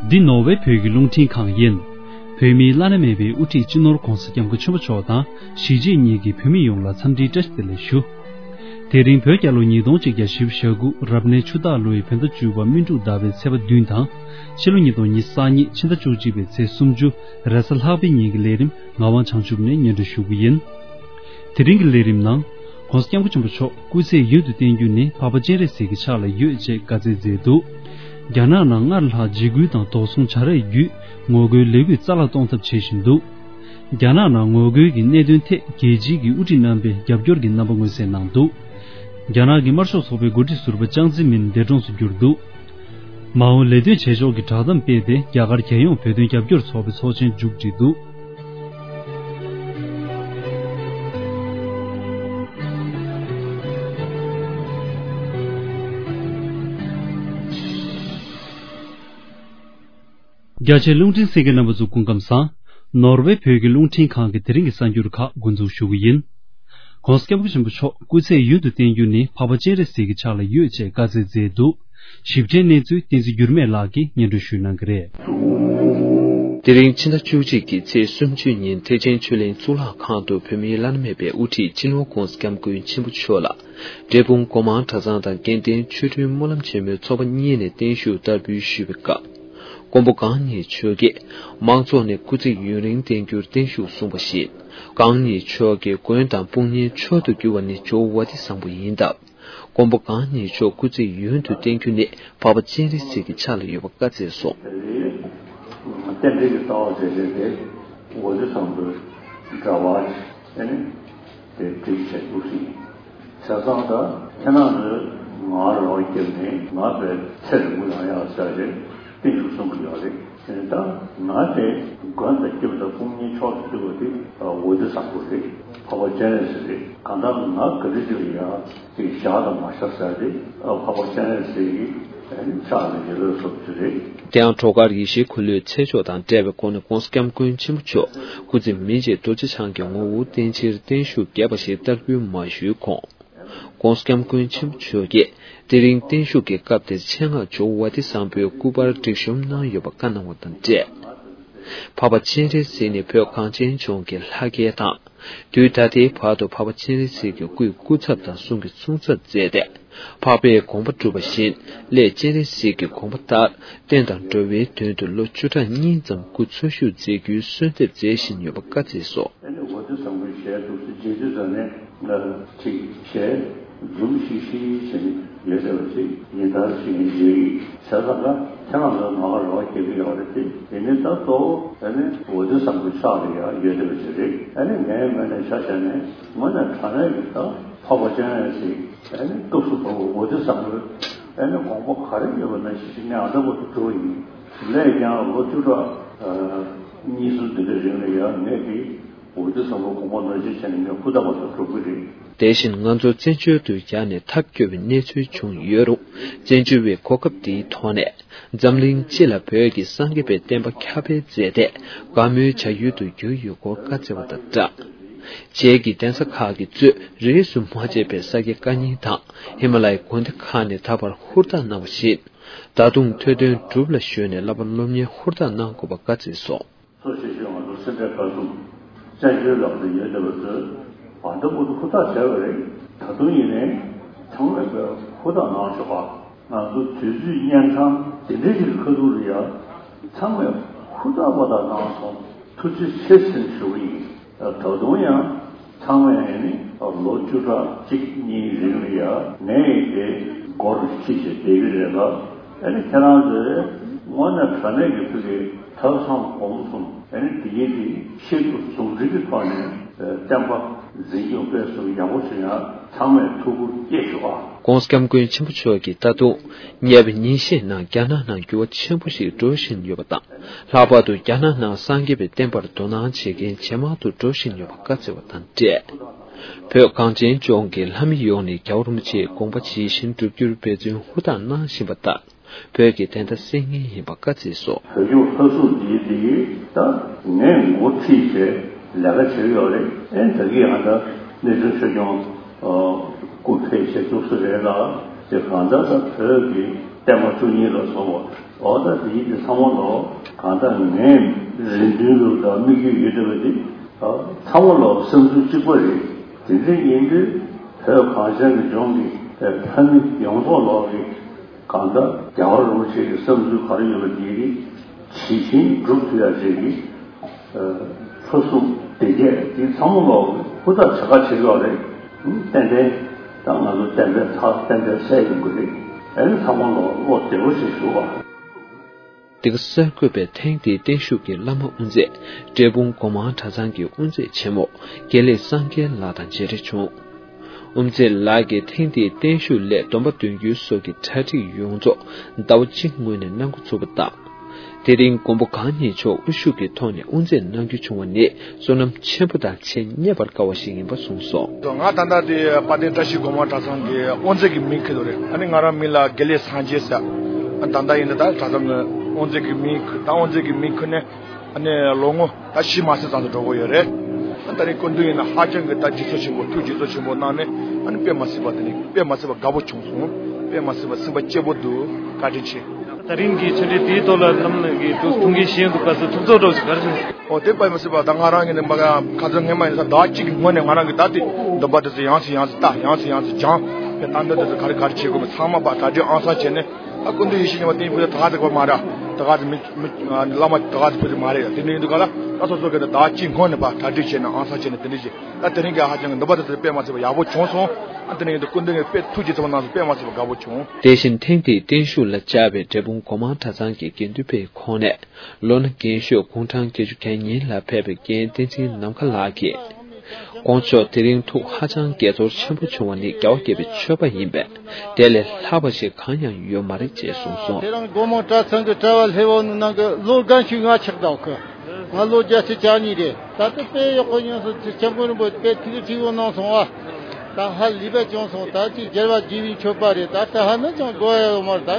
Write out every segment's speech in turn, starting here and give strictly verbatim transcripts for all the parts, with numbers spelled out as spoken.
འདི་ནོར་ཝེ་བོད་ཀྱི་རླུང་འཕྲིན་ཁང་ཡིན། བོད་མིའི་བླ་ན་མེད་པའི་དབུ་ཁྲིད་སྤྱི་ནོར་༧གོང་ས་༧སྐྱབས་མགོན་ཆེན་པོ་མཆོག་དང་གཞིས་བྱེས་གཉིས་ཀྱི་བོད་མི་ཡོངས་ལ་འཚམས་འདྲིའི་བཀྲ་ཤིས་བདེ་ལེགས་ཞུ། དེ་རིང་བོད་རྒྱལ་ལོ་ཉིས་སྟོང་གཅིག་བརྒྱ་བཞི་བཅུ་ཞེ་དགུ་རབ་གནས་ཆུ་སྟག་ལོའི་བོད་ཟླ་བཅུ་པ་སྨིན་དྲུག་ཟླ་བའི་ཚེས་པ་བདུན་དང་། ཕྱི་ལོ་ཉིས་སྟོང་ཉི་ཤུ་རྩ་གཉིས་ཕྱི་ཟླ་བཅུ་གཅིག་པའི་ཚེས་སུམ་ཅུ་རེས་གཟའ་ལྷག་པའི་ཉིན་གྱི་ལས་རིམ་ངག་དབང་བྱང་ཆུབ་ནས་སྙན་སྒྲོན་ཞུ་གི་ཡིན། དེ་རིང་གི་ལས་རིམ་ནང་། ྋགོང་ས་ྋསྐྱབས་མགོན་ཆེན་པོ་མཆོག་སྐུ་ཚེ་ཡུན་དུ་བརྟན་རྒྱུ་ནི་འཕགས་པ་སྤྱན་རས་གཟིགས་ཀྱི་ཕྱག་ལ་ཡོད་ཅེས་བཀའ་སྩལ་མཛད་འདུག་རྒྱ་ནག་ནང་སྔར་ལྷག་འཇིགས་སྐུལ་དང་དོགས་ཟོན་བྱ་རེས་བརྒྱུད་ངོ་རྒོལ་ལས་འགུལ་རྩ་བརླག་གཏོང་ཐབས་བྱེད་བཞིན་འདུག་རྒྱ་ནག་ནང་ངོ་རྒོལ་གྱི་གནད་དོན་ཐད་རྒྱལ་སྤྱིའི་དབུ་ཁྲིད་རྣམ་པས་རྒྱབ་སྐྱོར་གྱི་རྣམ་པ་མངོན་གསལ་གནང་འདུག་རྒྱ་ནག་གི་དམར་ཤོག་ཚོགས་པའི་འགོ་ཁྲིད་ཟུར་པ་ཅང་ཙེ་མིན་འདས་གྲོངས་སུ་གྱུར་འདུག་མའོ་ལས་དོན་བྱེད་ཕྱོགས་ཀྱི་བསྒྲགས་གཏམ་སྤེལ་ཏེ་རྒྱ་གར་རྒྱལ་ཡོངས་བོད་དོན་རྒྱབ་སྐྱོར་ཚོགས་པའི་ཚོགས་ཆེན་མཇུག་བསྒྲིལ་འདུག་རྒྱ་ཆེའི་རླུང་འཕྲིན་གསན་མཁན་རྣམ་པ་ཚོ་སྐུ་ཁམས་བཟང་། ནོར་ཝེ་བོད་ཀྱི་རླུང་འཕྲིན་ཁང་གི་དེ་རིང་གི་གསར་འགྱུར་ཁག་འགོ་འཛུགས་ཞུ་གི་ཡིན། ྋགོང་ས་ྋསྐྱབས་མགོན་ཆེན་པོ་མཆོག་སྐུ་ཚེ་ཡུན་དུ་བརྟན་རྒྱུ་ནི་འཕགས་པ་སྤྱན་རས་གཟིགས་ཀྱི་ཕྱག་ལ་ཡོད་ཅེས་བཀའ་སྩལ་མཛད་འདུག་ཞིབ་ཕྲའི་གནས་ཚུལ་བསྟན་འཛིན་འགྱུར་མེད་ལགས་ཀྱིས་སྙན་སྒྲོན་ཞུ་གནང་གི་རེད། དེ་རིང་ཕྱི་ཟླ་བཅུ་གཅིག་གི་ཚེས་སུམ་ཅུ་ཉིན་ཐེག་ཆེན་ཆོས་གླིང་གཙུག་ལག་ཁང་དུ་བོད་མིའི་བླ་ན་མེད་པའི་དབུ་ཁྲིད་སྤྱི་ནོར་༧གོང་ས་༧སྐྱབས་མགོན་ཆེན་པོ་མཆོག་ལ་འབྲས་སྤུངས་སྒོ་མང་གྲྭ་ཚང་དང་དགེ་ལྡན་ཆོ་འཕྲུལ་སྨོན་ལམ་ཆེན་མོའི་ཚོགས་པ་གཉིས་ནས་བརྟན་བཞུགས་བསྟར་འབུལ་ཞུས་པའི་སྐབས། མགོན་པོ་གང་ཉིད་མཆོག་གིས་དམངས་ཚོགས་ནས་སྐུ་ཚེ་ཡུན་རིང་བརྟན་རྒྱུར་བརྟན་བཞུགས་གསུངས་པ་བཞིན། གང་ཉིད་མཆོག་གི་མགོན་དང་དཔུང་གཉེན་མཆོག་ཏུ་གྱུར་བ་ནི་ཇོ་བོ་ཝ་ཏི་བཟང་པོ་ཡིན་སྟབས། མགོན་པོ་གང་ཉིད་མཆོག་སྐུ་ཚེ་ཡུན་དུ་བརྟན་རྒྱུ་ནི་འཕགས་པ་སྤྱན་རས་གཟིགས་ཀྱི་ཕྱག་ལ་ཡོད་པ་བཀའ་སྩལ་སོང་། རྟེན་འབྲེལ་གྱི་རྩ་བ་མཛད་བྱས་ཏེ་ཝ་ཏི་བཟང་པོའི་འབྲེལ་བ་ནི་དེ་སྒྲིག་བྱས་འདུག་ཟིན། བྱས་ཙང་ད་ཁྱེད་རང་ཚོས་ང་རང་སྐྱབས་ནས་ང་བས་ཚེ་རིང་པོ་ཡོང་ཡག་བྱ་ཞེས་བརྟན་བཞུགས་གསུང་གི་ཡོད་རེད། དེ་ནི་ད་ང་དེ་མགོན་དང་སྐྱབས་དང་དཔུང་གཉེན་མཆོག་ཏུ་གྱུར་པ་དེ་ཝ་ཏི་བཟང་པོ་རེད། འཕགས་པ་སྤྱན་རས་གཟིགས་རེད། གང་ལྟར་ང་ག་དུས་ཅིག་ལ་ཡང་དེ་བཞག་དང་མ་བཞག་ཟེར་ཏེ་འཕགས་པ་སྤྱན་རས་གཟིགས་ཀྱི་ཕྱག་ལ་ཡོད་པའི་སོབ་ཅིག་རེད། དེ་ཡང་སྒྲོལ་དཀར་ཡེ་ཤེས་འཁོར་ལོའི་ཚེ་ཆོག་དང་འབྲེལ་བའི་སྒོ་ནས་ྋགོང་ས་ྋསྐྱབས་མགོན་ཆེན་པོ་མཆོག་སྐུ་ཚེ་མི་མཇེད་རྡོ་རྗེ་འཆང་གི་ངོ་བོར་བརྟེན་ཕྱིར་བརྟན་བཞུགས་རྒྱས་པ་ཞིག་བསྟར་འབུལ་མ་ཞུས་གོང་། ྋགོང་ས་ྋསྐྱབས་མགོན་ཆེན་པོ་མཆོག་གིས་དེ་རིང་བརྟན་བཞུགས་ཀྱི་སྐབས་དེར་ཆེད་མངགས་ཇོ་བོ་ཝ་ཏི་བཟང་པོའི་སྐུ་པར་སྒྲིག་གཤོམ་གནང་ཡོད་པ་བཀའ་གནང་བ་དང་འབྲེལ། འཕགས་པ་སྤྱན་རས་གཟིགས་ནི་བོད་གངས་ཅན་ལྗོངས་ཀྱི་ལྷ་སྐལ་དང་། དུས་ད་ལྟའི་བར་དུ་འཕགས་པ་སྤྱན་རས་གཟིགས་ཀྱི་སྐུའི་སྐུ་ཚབ་དང་གསུང་གི་གསུང་ཚབ་མཛད་དེ། འཕགས་པའི་དགོངས་པ་སྒྲུབ་པ་བཞིན་སླད་སྤྱན་རས་གཟིགས་ཀྱི་དགོངས་པ་ལྟར་བསྟན་དང་འགྲོ་བའི་དོན་དུ་ལོ་བཅུ་ཕྲག་གཉིས་ཙམ་སྐུ་འཚོ་བཞུགས་མཛད་རྒྱུའི་གསོལ་འདེབས་མཛད་བཞིན་ཡོད་པ་བཀའ་སྩལ་སོ། ཨ་ནི་ཝ་ཏི་བཟང་པོའི་ཞལ་འདུག་སེ་མཇལ་དུས་ཙམ་ནས་ང་ཅིག་ཞལ་འཛུམ་ཤིག་ཤིག་བྱས་ནས་ཡོད་བསྡད་པ་ཅིག་ཡིན་ད་ཞིག་ཡིན་ཞེས་བྱས་ཙང་ཀ་ཁྱེད་རང་ཚོ་ང་ལ་རེ་བ་སྐྱེ་གི་ཡོད་རེད་དེ། དེ་ནི་ད་གཙོ་བོ་ཨ་ནི་ཝ་ཏི་བཟང་པོའི་ཕྱག་ལ་ཡང་ཡོད་བསྡད་པ་ཅིག་རེད། ཨ་ནི་ངའི་ངོས་ནས་ཆ་བཞག་ནས་དངོས་གནས་དྲང་གནས་ཀྱི་ད་འཕགས་པ་སྤྱན་རས་གཟིགས་ཨ་ནི་སྐབས་སུ་བབས་པ་ཝ་ཏི་བཟང་པོའི་ཨ་ནི་དགོངས་པ་ག་རེ་ཡོད་པ་ནང་བཞིན་ཞིག་ངས་ཨ་ད་བར་དུ་སྒྲུབ་པ་ཡིན། སླད་ཀྱང་ལོ་བཅུ་ཕྲག་གཉིས་གསུམ་འདི་འདྲའི་རིང་ལ་ཡང་ངས་ཀྱིས་ཝ་ཏི་བཟང་པོའི་དགོངས་པ་ནོར་འཁྲུལ་བྱས་ནས་ངས་ཧུར་ཐག་པ་ཐག་སྒྲུབ་ཀྱི་རེད། དེ་བཞིན་ང་ཚོ་བཙན་བྱོལ་དུ་ཡར་ནས་ཐབས་སྐྱོ་བའི་གནས་ཚུལ་བྱུང་ཡོད་རུང་། བཙན་བྱོལ་བའི་གོ་སྐབས་འདིའི་ཐོག་ནས་འཛམ་གླིང་སྤྱི་ལ་བོད་ཀྱི་སངས་རྒྱས་པའི་བསྟན་པ་ཁྱབ་སྤེལ་མཛད་དེ་དགའ་མོས་བྱ་ཡུལ་དུ་གྱུར་ཡོད་སྐོར་བཀའ་སྩལ་བ་དང་སྦྲགས། བྱེས་ཀྱི་གདན་ས་ཁག་གིས་གཙོས་རིས་སུ་མ་ཆད་པའི་ས་དགེ་བཀའ་རྙིང་དང་ཧི་མ་ལ་ཡའི་དགོན་སྡེ་ཁག་ནས་ད་བར་ཧུར་ཐག་གནང་བ་བཞིན། ད་དུང་ཐོས་དོན་སྒྲུབ་ལ་གཞོལ་ནས་བསླབ་པ་སློབ་གཉེར་ཧུར་ཐག་གནང་དགོས་པ་བཀའ་སྩལ་སོ། གཙོ་ཆེ་ཤོས་ང་ཚོ་སེ་འབྲས་དཀར་གསུམ་བཙན་བྱོལ་ལ་ཡོད་བསྡད་པ་ཚོས་བར་འདུམ་པོ་ཧུར་ཐག་བྱས་པ་རེད། ད་དུང་ཡིན་ནའི་ཚང་མས་དཔེ་ཧུར་ཐག་གནང་ཆོག་པ། ང་ཚོ་དུས་ཚོད་གཉན་འཕྲང་དེ་འདྲའི་ཞིག་གི་ཁ་ཐུག་ལ་ཡ་ཚང་མས་ཧུར་ཐག་པ་དག་གནང་སོང་། ཐུགས་རྗེ་ཆེ་ཟེར་ཞུ་གི་ཡིན། ད་དུང་ཡང་ཚང་མས་ནི་ལོ་བཅུ་ཕྲག་གཅིག་གཉིས་རིང་ལ་ཡ་ངས་དེ་སྒོར་ཁྲིད་བྱས་བསྡད་ཀྱི་རེད་ལ། ཨ་ནི་ཁྱེད་རང་ཚོས་དངོས་གནས་དྲང་གནས་ཀྱི་ཐུགས་ཀྱི་ཐབས་བཟང་སྒོམ་གསུམ་ཨ་ནི་དེ་ཡིན་དེ་ཤེས་རྟོགས་ཟུང་འབྲེལ་གྱི་ཐོག་ནས་བསྟན་པ་འཛིན་སྐྱོང་སྤེལ་གསུམ་ཡག་པོ་བྱེད་ཡ་ཚང་མས་ཐུགས་ཁུར་བསྐྱེད་ཤོག་ཨ། ྋགོང་ས་ྋསྐྱབས་མགོན་ཆེན་པོ་མཆོག་གིས་ད་དུང་ཉེ་བའི་ཉིན་ཤས་ནང་རྒྱ་ནག་ནང་འགྱུར་བ་ཆེན་པོ་ཞིག་འགྲོ་བཞིན་ཡོད་པ་དང་། ལྷག་པར་དུ་རྒྱ་ནག་ནང་སངས་རྒྱས་པའི་བསྟན་པར་དོ་སྣང་བྱེད་མཁན་ཇེ་མང་དུ་འགྲོ་བཞིན་ཡོད་པ་བཀའ་སྩལ་བ་དང་འབྲེལ། བོད་གངས་ཅན་ལྗོངས་ཀྱི་ལྷ་མི་ཡོངས་ནས་རྒྱལ་བ་རིན་པོ་ཆེའི་དགོངས་པ་ཇི་བཞིན་སྒྲུབ་རྒྱུར་འབད་བརྩོན་ཧུར་ཐག་གནང་བཞིན་པ་ལྟར། བོད་ཀྱི་བདེན་མཐའ་གསལ་ངེས་ཡིན་པ་བཀའ་སྩལ་སོ། བོད་ལྗོངས་ལྷ་སྲུང་འདིའི་འདི་ད་ངས་འགོ་ཁྲིད་བྱས་ལས་ཀ་བྱེད་ཀྱི་ཡོད་རེད། ཨེ་ད་གི་ཡང་ད་གནས་ཆུང་ཆོས་སྐྱོང་སྐུ་ཕེབས་བྱས་བཅུག་ས་རེད་ལ། དེ་གང་ལྟར་ད་བོད་ཀྱི་ བརྟན་པ་བཅུ་གཉིས་ལ་སོགས་པ། འོ་ད་དེ་ཡིན་དེ་ཚང་མ་ལོ་གང་ལྟར་ངས་རེ་འདུན་ལོ་དང་དམིགས་ཡུལ་ཡོད་བསྡད་པ་དེ། ཚང་མ་ལོ་བསམ་ཚུལ་གཅིག་པ་རེད། དེ་འདྲ་ཡིན་དུས་བོད་གངས་ཅན་གྱི་ལྗོངས་ཀྱི་བོད་མི་ཡོངས་རྫོགས་ལོག་གི་གང་ལྟར་རྒྱལ་བ་རིན་པོ་ཆེ་གི་བསམ་ཚུལ་ག་རེ་ཡོད་པ་དེ་གི་ཇི་བཞིན་སྒྲུབ་ཐུབ་ཡ་ཅིག་གི་ཕུན་སུམ་བདེ་སྐྱིད་དེ་ཚང་མ་ལོ་ཧུར་ཐག་བྱེད་ཁ་བྱེད་ཡོད་རེད། ཏན་ཏན་ད་ང་ཚོ་ཏན་ཏན་ཚར་ཏན་ཏན་སེལ་ཡོང་གི་རེད། ཨ་ནི་ཚང་མ་ལོ་བློ་བདེ་པོ་ཞིག་ཞུ་བ། འདི་ག་གསར་འགོད་པས་ཐེངས་འདིའི་བརྟན་བཞུགས་ཀྱི་བླ་མ་དབུ་མཛད་འབྲས་སྤུངས་སྒོ་མང་གྲྭ་ཚང་གི་དབུ་མཛད་ཆེན་མོ་དགེ་ལེགས་སངས་རྒྱས་ལགས་དང་མཇལ་འཕྲད་བྱུང་། དབུ་མཛད་ལགས་ཀྱིས་ཐེངས་འདིའི་བརྟན་བཞུགས་སླད་སྡོམ་པ་འདོན་རྒྱུའི་སོགས་ཀྱི་གྲ་སྒྲིག་ཡོངས་རྫོགས་ཟླ་བ་གཅིག་སྔོན་ནས་གནང་འགོ་ཚུགས་པ་དང་། དེ་རིང་མགོན་པོ་གང་ཉིད་མཆོག་དབུ་བཞུགས་ཀྱི་ཐོག་ནས་དབུ་མཛད་གནང་རྒྱུ་བྱུང་བ་ནི་བསོད་ནམས་ཆེན་པོ་དང་ཆེས་རྙེད་པར་དཀའ་བ་ཞིག་ཡིན་པ་གསུངས་སོང་། ང་ད་ལྟ་དེ་དཔལ་ལྡན་བཀྲ་ཤིས་སྒོ་མང་གྲྭ་ཚང་གི་དབུ་མཛད་ཀྱི་མིང་འཁུར་དོ་རེད། ཨ་ནི་ང་རང་མིང་ལ་དགེ་ལེགས་སངས་རྒྱས་ཟེར། ཨ་ད་ལྟ་ཡིན་ན་ད་གྲྭ་ཚང་གི་དབུ་མཛད་ཀྱི་མིང་འཁུར། ད་དབུ་མཛད་ཀྱི་མིང་འཁུར་ནས་ཨ་ནི་ལོ་ངོ་ད་བཞི་མ་ཟིན་ཙམ་དུ་འགྲོ་གི་ཡོད་རེད། ཨ་ད་རིང་སྐུ་མདུན་ཡིན་ན་ཧ་ཅང་གི་ད་རྗེས་སུ་ཆེན་པོ། ཐུགས་རྗེ་ཆེན་པོ་གནང་ནས་ཨ་ནི་དཔེ་མ་སྲིད་པ་དེ་ནི་དཔེ་མ་སྲིད་པ་དགའ་པོ་བྱུང་སོང་། དཔེ་མ་སྲིད་པ་སེམས་པ་སྐྱིད་པོ་འདུག་བཀའ་དྲིན་ཆེ། ད་རིང་གི་ཆོས་འབྲེལ་དེའི་ཐོག་ལ་བླ་མ་གི་ཐུགས་ཐུགས་འགན་བཞེས་འདུག་ག་ཚོད་ཐུགས་ཚོར་འདྲ་བོ་ཞིག་ག་རེ་བྱུང་། ཨོ་དེ་དཔེ་མ་སྲིད་པ་ད་ང་རང་གི་ནི་མ་ག་ཁ་སང་སྔོན་མ་ཡིན་ས་ཟླ་གཅིག་གི་སྔོན་ནས་ང་རང་གི་ད་དེ་འདོན་པ་དེ་ཚོ་ཡང་སེ་ཡང་སེ་ལྟ། ཡང་སེ་ཡང་སེ་སྦྱང་། དེ་ད་འདོན་དེ་ཚོ་ག་རེ་ག་རེ་བྱེད་དགོས་མིན་ཚང་མ་ཕར་གྲ་སྒྲིག་ཨང་གསར་བྱས་ནས། ཨ་སྐུ་མདུན་ཡེ་ཤེས་སྙིང་པོ་བསྟན་ཕུལ་ད་ག་ཚོད་པ་མ་རེད། ད་ག་ཚོད་མི་མི་བླ་མ་ད་ག་ཚོད་ཕུལ་ཚོད་མ་རེད། དེ་འདྲ་ཡིན་དུས་ག་ལ་ད་སོ་སོ་གི་ད་ཟླ་གཅིག་སྔོན་ནས་ཕར་གྲ་སྒྲིག་བྱས་ནས་ཨང་གསར་བྱས་ནས་དེ་འདྲ་བྱས། ད་དེ་རིང་གི་ཧ་ཅང་གི་འདོན་པ་དེ་ཚོ་དཔེ་མ་སྲིད་པ་ཡག་པོ་བྱུང་སོང་། ཨ་དེ་ནས་ཡིན་དུས་སྐུ་མདུན་གྱིས་དཔེ་ཐུགས་རྗེ་ཆེན་པོ་གནང་སོང་། དཔེ་མ་སྲིད་པ་དགའ་པོ་བྱུང་། དེ་བཞིན་ཐེངས་འདིའི་བརྟན་བཞུགས་ལ་བཅར་བའི་འབྲས་སྤུངས་སྒོ་མང་གྲྭ་ཚང་གི་དགེ་འདུན་པའི་ཁོངས་ནས་ལོ་ན་རྒན་ཤོས་དགུང་གྲངས་བརྒྱད་ཅུ་གྱ་གཉིས་ལ་ཕེབས་པའི་རྒན་བསྟན་འཛིན་ནམ་མཁའ་ལགས་ཀྱིས། དཀོན་མཆོག་དེ་རིང་ཐུགས་ཧ་ཅང་དགྱེས་ཚོར་ཆེན་པོ་བྱུང་བ་ནི་རྒྱལ་བ་དགྱེས་པའི་མཆོད་པ་ཡིན་པས། དེ་ལས་ལྷག་པ་ཞིག་གང་ཡང་ཡོད་མ་རེད་ཅེས་གསུངས་སོང་། དེ་རིང་སྒོ་མང་གྲྭ་ཚང་གི་གྲྭ་བ་སླེ་བོ་ནང་གི་ལོ་རྒན་ཤོས་ང་ཆགས་བསྡད་གི། ང་ལོ་བརྒྱད་ཅུ་གྱ་གཉིས་རེད། ད་ལྟ་དཔེ་ཡག་པོ་ཡོང་སོང་། སྐྱབས་མགོན་རིན་པོ་ཆེ་དཔེ་ཐུགས་རྗེ་ཆེ་པོ་གནང་སོང་བ། ད་ཧ་ལས་པ་བྱུང་སོང་། ད་ཅིག་རྒྱལ་བ་དགྱེས་པའི་མཆོད་པ་རེད། ད་ད་ཧ་ནི་ཅང་དགོས་ཡ་ཡོད་མ་རེད། ད་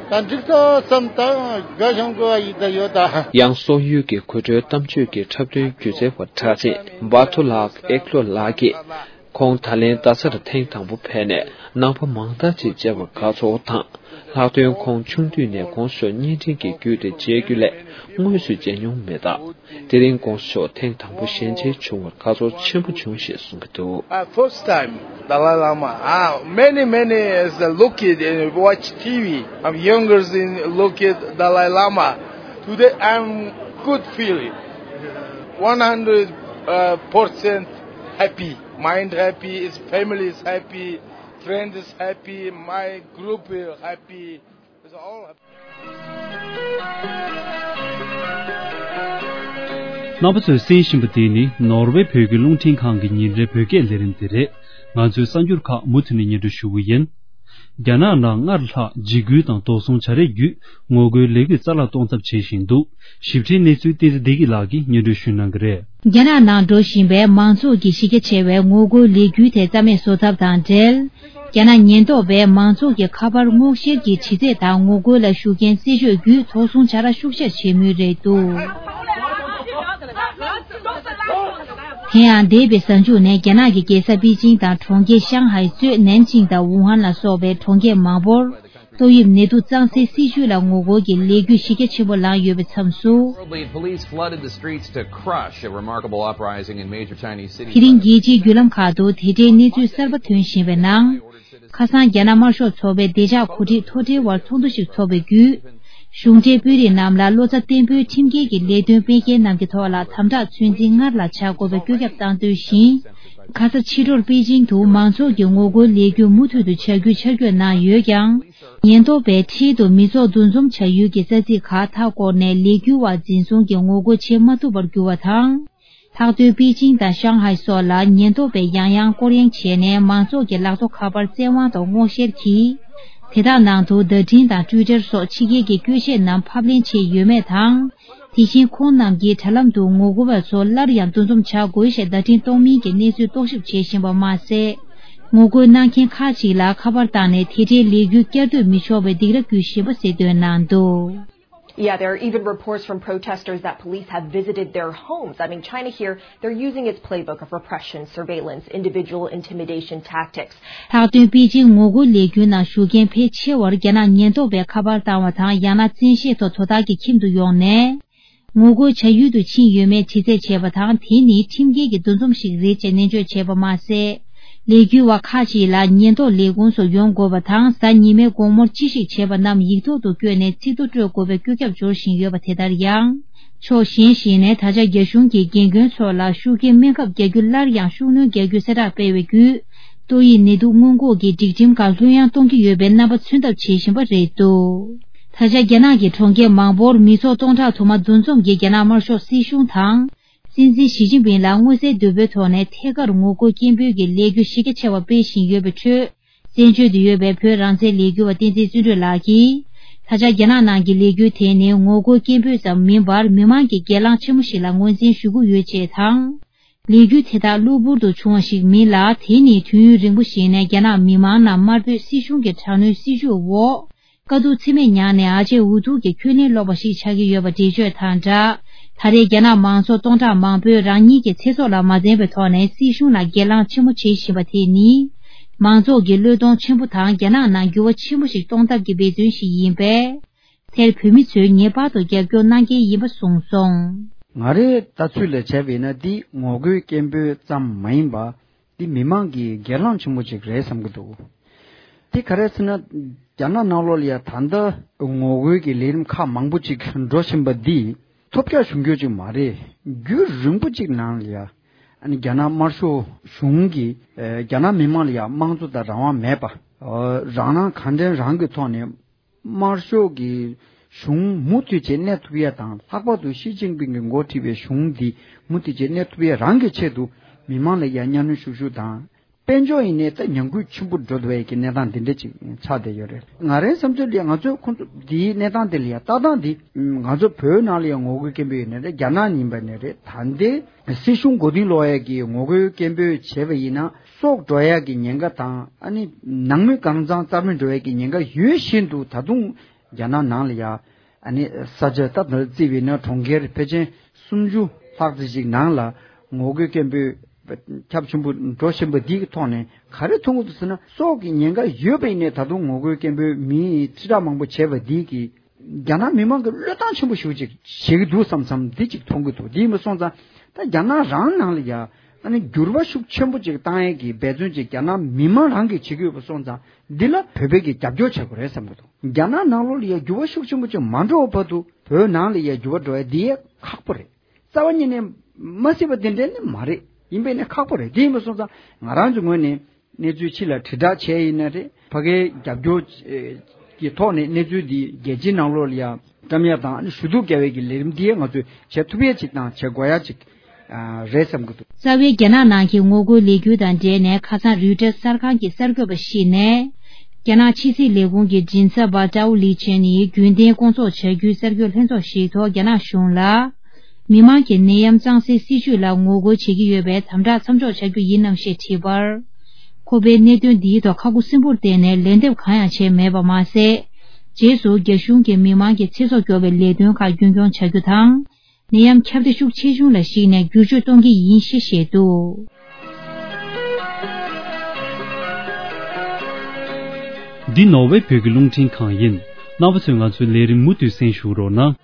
ད་འགྲིག་ས་བསམ། ད་དགའ་ཞང་དགོས་ཡ་ཡིན་ད་ཡོད་ད། ཡང་སོག་ཡུལ་གྱི་གོ་ཐོས་གཏམ་བརྗོད་ཀྱི་འཁྲབ་སྟོན་སྒྱུ་རྩལ་བ་གྲགས་ཅན་བྷ་ཐུ་ལག་ཨེག་ལོ་ལགས་ཀྱིས། ཁོང་ད་ལན་རྡ་སར་ཐེངས་དང་པོ་ཕེབས་ནས་ནང་པ་མང་དག་ཅིག་མཇལ་བར་དགའ་ཚོར་དང་། ལྷག་དོན་ཁོང་ཆུང་དུས་ནས་དགོངས་ཞོར་བརྙན་འཕྲིན་གྱི་བརྒྱུད་དེ་མཇལ་རྒྱུ་ལས་དངོས་སུ་མཇལ་མྱོང་མེད་སྟབས། དེ་རིང་དགོངས་ཞོར་ཐེངས་དང་པོ་ཞལ་མཇལ་བྱུང་བར་དགའ་ཚོར་ཆེན་པོ་བྱུང་ཞེས་གསུངས་ཀྱི་འདུག Uh, first time, Dalai Lama. Ah, many, many is the look at and watch T V. I'm younger than look at Dalai Lama. Today I'm good feeling. One hundred percent happy. Mind happy, his family is happy, friend is happy, my group is happy. It's all happy. རྣམ་པ་ཚོས་གསན་བཞིན་པ་འདི་ནི་ནོར་ཝེ་བོད་ཀྱི་རླུང་འཕྲིན་ཁང་གི་ཉིན་རེའི་བོད་སྐད་ལས་རིམ་དེ་རེད། ང་ཚོའི་གསར་འགྱུར་ཁག་མུ་མཐུད་ནས་སྙན་སྒྲོན་ཞུ་གི་ཡིན། རྒྱ་ནག་ནང་སྔར་ལྷག་འཇིགས་སྐུལ་དང་སྡོད་གསུམ་བྱ་རེས་བརྒྱུད་ངོ་རྒོལ་ལས་འགུལ་རྩ་བརླག་གཏོང་ཐབས་བྱེད་བཞིན་འདུག་ཞིབ་ཕྲའི་གནས་ཚུལ་བསྟན་འཛིན་བདེ་སྐྱིད་ལགས་ཀྱིས་སྙན་སྒྲོན་ཞུ་གནང་གི་རེད། རྒྱ་ནག་ནང་འགྲོ་བཞིན་པའི་མང་ཚོགས་ཀྱི་གཞི་རྒྱ་ཆེ་བའི་ངོ་རྒོལ་ལས་འགུལ་དེ་རྩ་མེད་བཟོ་ཐབས་དང་འབྲེལ། རྒྱ་ནག་ཉེན་རྟོག་པས་མང་ཚོགས་ཀྱི་ཁ་པར་སྔོག་བཤེར་གྱི་དྲི་རྩད་དང་ངོ་རྒོལ་ལ་ཞུགས་མཁན་རྩད་གཅོད་བརྒྱུད་དོགས་ཟོན་བྱ་ར་ཤུགས་ཆེར་བྱེད་མུས་རེད་འདུག་དེ་ཡང་འདས་པའི་གཟའ་མཇུག་ནས་རྒྱ་ནག་གི་རྒྱལ་ས་པེ་ཅིང་དང་གྲོང་ཁྱེར་ཤང་ཧའེ་གཙོས་ནན་ཅིང་དང་ཝུ་ཧན་ལ་སོགས་པའི་གྲོང་ཁྱེར་མང་པོར། ཏོག་དབྱིབས་ནད་དུག་གཙང་སེལ་སྲིད་ཇུས་ལ་ངོ་རྒོལ་གྱི་ལས་འགུལ་གཞི་རྒྱ་ཆེན་པོ་ལངས་ཡོད་པའི་མཚམས་སུ། Worldly, police flooded the streets to crush a remarkable uprising in major Chinese cities. དེ་རིང་རྒྱལ་སྤྱིའི་བརྒྱུད་ལམ་ཁག་ཏུ་དེ་འབྲེལ་གནས་ཚུལ་གསར་པ་ཐོན་བཞིན་པའི་ནང་། ཁ་སང་རྒྱ་ནག་དམར་ཤོག་ཚོགས་པའི་བདེ་འཇགས་གོ་སྒྲིག་མཐོ་གྲས་དབར་ཚོགས་འདུ་ཞིག་འཚོགས་པའི་བརྒྱུད། གཞུང་འབྲེལ་དཔོན་རིགས་རྣམས་ལ་བློ་རྩ་བརྟན་པོས་ཁྲིམས་འགལ་གྱི་ལས་དོན་སྤེལ་མཁན་རྣམས་ཀྱི་ཐོག་ལ་དམ་དྲག་ཚོད་འཛིན་སྔར་ལ་བྱ་དགོས་པའི་བཀོད་ཁྱབ་བཏང་དོན་བཞིན། ཁ་ས་ཕྱི་དྲོར་པེ་ཅིང་དུ་མང་ཚོགས་ཀྱི་ངོ་རྒོལ་ལས་འགུལ་མུ་མཐུད་དུ་བྱ་རྒྱུའི་ཆ་བགོས་གནང་ཡོད་ཀྱང་། ཉེན་རྟོག་པས་འཁྲིས་དུ་མི་ཚོགས་འདུ་འཛོམས་བྱ་ཡུལ་གྱི་ས་ཚིགས་ཁག་མཐའ་བསྐོར་ནས་ལས་འགུལ་བ་འཛིན་བཟུང་གིས་ངོ་རྒོལ་བྱེད་མ་ཐུབ་པར་གྱུར་བ་དང་། ལྷག་དོན་པེ་ཅིང་དང་ཤང་ཧའེ་སོགས་ལ་ཉེན་རྟོག་པས་ཡང་ཡང་སྐོར་གཡེང་བྱས་ནས་མང་ཚོགས་ཀྱི་ལག་ཐོགས་ཁ་པར་བཙན་དབང་ཐོག་སྔོག་བཤེར་གྱིས། དེ་དག་ནང་དུ་བརྡ་འཕྲིན་དང་ཊུའི་ཊར་སོགས་ཕྱི་རྒྱལ་གྱི་བཀོལ་ཆས་རྣམས་ཕབ་ལེན་བྱས་ཡོད་མེད་དང་། དེ་བཞིན་ཁོང་རྣམས་ཀྱིས་དྲ་ལམ་དུ་ངོ་རྒོལ་བ་ཚོ་སླར་ཡང་འདུ་འཛོམས་བྱ་དགོས་ཞེས་བརྡ་འཕྲིན་གཏོང་མིན་གྱི་གནས་ཚུལ་རྟོག་ཞིབ་བྱེད་བཞིན་པ་མ་ཟད། ངོ་རྒོལ་གནང་མཁན་ཁག་ཅིག་ལ་ཁ་པར་བཏང་ནས་དེ་འབྲེལ་ལས་འགུལ་བསྐྱར་ཟློས་མི་ཆོག་པའི་སྡིགས་ར་བསྐུལ་བཞིན་པ་གསལ་སྟོན་གནང་འདུག Yeah, there are even reports from protesters that police have visited their homes. I mean, China here, they're using its playbook of repression, surveillance, individual intimidation tactics. ལྷག་དོན་པེ་ཅིང་ངོ་རྒོལ་ལས་འགུལ་ནང་ཞུགས་མཁན་ཕལ་ཆེ་བར་རྒྱ་ནག་ཉེན་རྟོག་པས་ཁ་པར་བཏང་བ་དང་། ཡང་ན་བཙན་ཤེད་ཐོག་དོ་བདག་གི་ཁྱིམ་དུ་ཡོང་ནས། ངོ་རྒོལ་བྱ་ཡུལ་དུ་ཕྱིན་ཡོད་མེད་དྲི་རྩད་བྱས་པ་དང་། དེ་ནི་ཁྲིམས་འགལ་གྱི་འདུ་འཛོམས་ཤིག་རེད་ཅེས་ནན་བརྗོད་བྱས་པ་མ་ཟད། ལས་འགུལ་བ་ཁག་ཅིག་ལ་ཉེན་རྟོག་ལས་ཁུངས་སུ་ཡོང་དགོས་པ་དང་། གཟའ་ཉི་མའི་དགོང་མོར་ཅི་ཞིག་བྱས་པ་རྣམས་ཡིག་ཐོག་ཏུ་བཀོད་ནས་ཚིག་ཐོ་སྤྲོད་དགོས་པའི་བཀོད་ཁྱབ་འབྱོར་བཞིན་ཡོད་པ་དེ་ལྟར་ཡང་། ཕྱོགས་གཞན་ཞིག་ནས་ད་ཆ་རྒྱ་གཞུང་གིས་རྒན་རྒོན་ཚོ་ལ་ཤུགས་རྐྱེན་སྨན་ཁབ་རྒྱག་རྒྱུ་སླར་ཡང་ཤུགས་སྣོན་རྒྱག་རྒྱུའི་གསལ་བསྒྲགས་སྤེལ་བའི་བརྒྱུད། ཏོག་དབྱིབས་ནད་དུག་སྔོན་འགོག་གི་སྒྲིག་ཁྲིམས་ཁག་ལྷོད་ཡངས་གཏོང་གི་ཡོད་པའི་རྣམ་པ་མཚོན་ཐབས་བྱེད་བཞིན་པ་རེད་འདུག་ད་ཆ་རྒྱ་ནག་གི་གྲོང་ཁྱེར་མང་པོར་མི་ཚོགས་སྟོང་ཕྲག་དུ་མ་འདུ་འཛོམས་ཀྱིས་རྒྱ་ནག་དམར་ཤོག་སྲིད་གཞུང་དང་། སྲིད་འཛིན་ཞི་ཅིན་ཕིང་ལ་མངོན་གསལ་དོད་པོའི་ཐོག་ནས་ཐད་ཀར་ངོ་རྒོལ་སྐད་འབོད་ཀྱི་ལས་འགུལ་གཞི་རྒྱ་ཆེ་བ་སྤེལ་བཞིན་ཡོད་པའི་ཁྲོད། བཙན་བྱོལ་དུ་ཡོད་པའི་བོད་རང་བཙན་ལས་འགུལ་བ་བསྟན་འཛིན་བརྩོན་འགྲུས་ལགས་ཀྱིས། ད་ཆ་རྒྱ་ནག་ནང་གི་ལས་འགུལ་དེ་ནི་ངོ་རྒོལ་སྐད་འབོད་ཙམ་མིན་པར། མི་མང་གི་སྒེར་ལངས་ཆེན་མོ་ཞིག་ལ་ངོས་འཛིན་ཞུ་གི་ཡོད་ཅེས་དང་། ལས་འགུལ་དེ་དག་གློ་བུར་དུ་བྱུང་བ་ཞིག་མིན་ལ། དེ་ནི་དུས་ཡུན་རིང་པོ་ཞིག་ནས་རྒྱ་ནག་མི་མང་རྣམས་དམར་པོའི་སྲིད་གཞུང་གི་དྲག་གནོན་སྲིད་བྱུས་འོག་དཀའ་སྡུག་ཚད་མེད་མྱངས་ནས་ཨ་ཅེ་འུ་ཐུག་གི་ཁྱོན་ལས་ལོག་པ་ཞིག་ཆགས་ཀྱི་ཡོད་པ་འགྲེལ་བརྗོད་དང་སྦྲགས། ད་རེས་རྒྱ་ནག་མང་ཚོགས་སྟོང་ཕྲག་མང་པོས་རང་ཉིད་ཀྱི་ཚེ་སྲོག་ལ་མ་འཛེམས་པའི་ཐོག་ནས་སྲིད་གཞུང་ལ་སྒེར་ལངས་ཆེན་མོ་བྱེད་བཞིན་པ་དེ་ནི། མང་ཚོགས་ཀྱི་བློས་གཏོང་ཆེན་པོ་དང་། རྒྱ་ནག་ནང་འགྱུར་བ་ཆེན་པོ་ཞིག་གཏོང་ཐབས་ཀྱི་འབད་བརྩོན་ཞིག་ཡིན་པས། དེར་བོད་མི་ཚོས་ངེས་པར་དུ་རྒྱབ་སྐྱོར་གནང་གལ་ཡིན་པ་གསུངས་སོང་། ང་རའི་ལྟ་ཚུལ་ལ་བྱས་པ་ཡིན་ན། འདི་ངོ་རྒོལ་སྐད་འབོད་ཙམ་མ་ཡིན་པ། འདི་མི་མང་གི་སྒེར་ལངས་ཆེན་པོ་ཅིག་རེད་བསམ་གྱི་འདུག་དེ་ག་རེ་ཟེར་ན། རྒྱ་ནག་ནང་ལོགས་ལ་ཡ་ད་ལྟ་ངོ་རྒོལ་གྱི་ལས་རིམ་ཁག་མང་པོ་ཅིག་འགྲོ་བཞིན་པ་འདི་ཐོལ་རྒྱག་བྱུང་རྒྱུ་ཅིག་མ་རེད། རྒྱུན་རིང་པོ་ཅིག་ནང་ལ་ཡ། ཨ་ནི་རྒྱ་ནག་དམར་ཤོག་གཞུང་གིས་ཨ་རྒྱ་ནག་མི་མང་ལ་ཡ་དམངས་གཙོ་དང་རང་དབང་མེད་པ། ཨ་རང་སྣང་གང་དྲན་རང་གི་ཐོག་ནས། དམར་ཤོག་གི་གཞུང་མུ་མཐུད་བྱས་གནས་ཐུབ་ཡ་དང་། ལྷག་པར་དུ་ཞི་ཅིན་ཕིང་གིས་འགོ་ཁྲིད་པའི་གཞུང་འདི་མུ་མཐུད་བྱས་གནས་ཐུབ་ཡ་རང་གི་ཆེད་དུ། མི་མང་ལ་ཡ་གཉའ་གནོན་ཤུགས་ཤུགས་དང་། དཔལ་འབྱོར་ཡིན་ནའི་ད་ཉམས་རྒུད་ཆེན་པོ་འགྲོ་བསྡད་ཡ་གི་གནས་སྟངས་འདི་འདྲ་ཅིག་ཆགས་བསྡད་ཡོད་རེད། ང་རའི་བསམ་ཚུལ་ལ་ཡ། ང་ཚོས་ཁོང་ཚོ་འདིའི་གནས་སྟངས་དེ་ལ་ཡ་ལྟ་སྟངས་འདི། ང་ཚོ་བོད་ནང་ལ་ཡ་ངོ་རྒོལ་སྐད་འབོད་ཡིན་ནའི་རེད། རྒྱ་ནག་ཡིན་པ་ནའི་རེད། ད་ལྟའི་སྲིད་གཞུང་མགོ་རྟིང་སློག་ཡ་གི་ངོ་རྒོལ་སྐད་འབོད་བྱས་པ་ཡིན་ན། སྲོག་འགྲོ་ཡ་གི་ཉེན་ཁ་དང་། ཨ་ནི་ནང་མི་གང་ཚང་རྩ་མེད་འགྲོ་ཡ་གི་ཉེན་ཁ་ཡོད་བཞིན་དུ། ད་དུང་རྒྱ་ནག་ནང་ལ་ཡ་ཨ་ནི་ས་ཆ་ད་ལྟ་བརྩིས་པ་ཡིན་ན་གྲོང་ཁྱེར་ཕལ་ཆེར་སུམ་ཅུ་ལྷག་ཙམ་ཞིག་ནང་ལ་ངོ་རྒོལ་སྐད་འབོད་ཁྱབ་ཆེན་པོ་འགྲོ་བཞིན་པ་འདིའི་ཐོག་ནས་ག་རེ་མཐོང་གི་འདུག་ཟེར་ན། སྲོག་གི་ཉེན་ཁ་ཡོད་པ་ཡིན་ནའི་ད་དུང་ངོ་རྒོལ་སྐད་འབོད་མི་ཁྲི་ཕྲག་མང་པོ་བྱས་པ་འདི་གིས། རྒྱ་ནག་མི་མང་གི་བློས་བཏང་ཆེན་པོ་ཞིག་ཅིག་བྱེད་ཀྱི་འདུག་བསམ་བསམ་འདི་ཅིག་མཐོང་གི་འདུག་འདི་ཡིན་པ་སོང་ཙང་། ད་རྒྱ་ནག་རང་ནང་ལ་ཡ་ཨ་ནི་འགྱུར་བ་ཤུགས་ཆེན་པོ་ཅིག་བཏང་ཡས་ཀྱི་འབད་བརྩོན་ཅིག་རྒྱ་ནག་མི་མང་རང་གིས་བྱེད་ཀྱི་ཡོད་པ་སོང་ཙང་། འདི་ལ་བོད་པས་ཀྱི་རྒྱབ་སྐྱོར་བྱེད་དགོས་རེད་བསམ་གྱི་འདུག་རྒྱ་ནག་ནང་ལོགས་ལ་ཡ་འགྱུར་བ་ཤུགས་ཆེན་པོ་ཅིག་མ་འགྲོ་བར་དུ་བོད་ནང་ལ་ཡ་འགྱུར་བ་འགྲོ་ཡ་འདི་ཡ་ཁག་པོ་རེད། རྩ་བ་ཉིད་ནས་མ་སྲིད་པ་དེ་འདྲ་ནི་མ་རེད། ཡིན་པས་ནི་ཁག་པོ་རེད། དེ་ཡིན་པ་སོང་ཙང་ང་རང་ཚོའི་ངོས་ནས་གནས་ཚུལ་ཕྱི་ལ་དྲིལ་བསྒྲགས་བྱས་ཡིན་ན་རེད། ཕ་གིའི་རྒྱབ་སྐྱོར་གྱི་ཐོག་ནས་གནས་ཚུལ་འདི་རྒྱལ་སྤྱིའི་ནང་ལོགས་ལ་ཡང་བཀྲམ་ཡ་དང་། ཨ་ནི་ཞུ་གཏུག་རྒྱག་པའི་གི་ལས་རིམ་འདི་ཡང་ང་ཚོས་བྱེད་ཐུབ་ཡ་ཅིག་དང་བྱེད་དགོས་ཡ་ཅིག་རེད་བསམ་གྱི་འདུག་རྩ་བའི་རྒྱ་ནག་ནང་གི་ངོ་རྒོལ་ལས་འགུལ་དང་འབྲེལ་ནས་ཁ་སང་རོའི་ཊར་གསར་ཁང་གི་གསར་འགོད་པ་ཞིག་ནས། རྒྱ་ནག་ཕྱི་སྲིད་ལས་ཁུངས་ཀྱི་མགྲིན་ཚབ་པ་ཀྲའོ་ལི་ཅན་ནི་རྒྱུན་ལྡན་སྐོང་ཚོགས་བྱ་རྒྱུའི་གསར་འགོད་ལྷན་ཚོགས་ཤིག་ཐོག་རྒྱ་ནག་གཞུང་ལ། མི་མང་གིས་ནད་ཡམས་གཙང་སེལ་སྲིད་བྱུས་ལ་ངོ་རྒོལ་བྱེད་ཀྱི་ཡོད་པས་དམ་དྲག་མཚམས་འཇོག་བྱ་རྒྱུ་ཡིན་ནམ་ཞེས་དྲིས་པར། ཁོ་པས་གནད་དོན་འདིའི་ཐོག་ཁ་ཁུ་སིམ་པོར་བརྟེན་ནས་ལན་འདེབས་གང་ཡང་བྱས་མེད་པ་མ་ཟད། རྗེས་སུ་རྒྱ་གཞུང་གིས་མི་མང་གི་ཚེ་སྲོག་སྐྱོབ་པའི་ལས་དོན་ཁག་རྒྱུན་འཁྱོངས་བྱ་རྒྱུ་དང་། ནད་ཡམས་ཁྱབ་གདལ་ཤུགས་ཆེ་ཆུང་ལ་གཞིགས་ནས་བསྒྱུར་བཅོས་གཏོང་གི་ཡིན་ཞེས་བཤད་འདུག་འདི་ནོར་ཝེ་བོད་ཀྱི་རླུང་འཕྲིན་ཁང་ཡིན། རྣམ་པ་ཚོས་ང་ཚོའི་ལས་རིམ་མུ་མཐུད་གསན་ཞུ་རོགས་གནང་།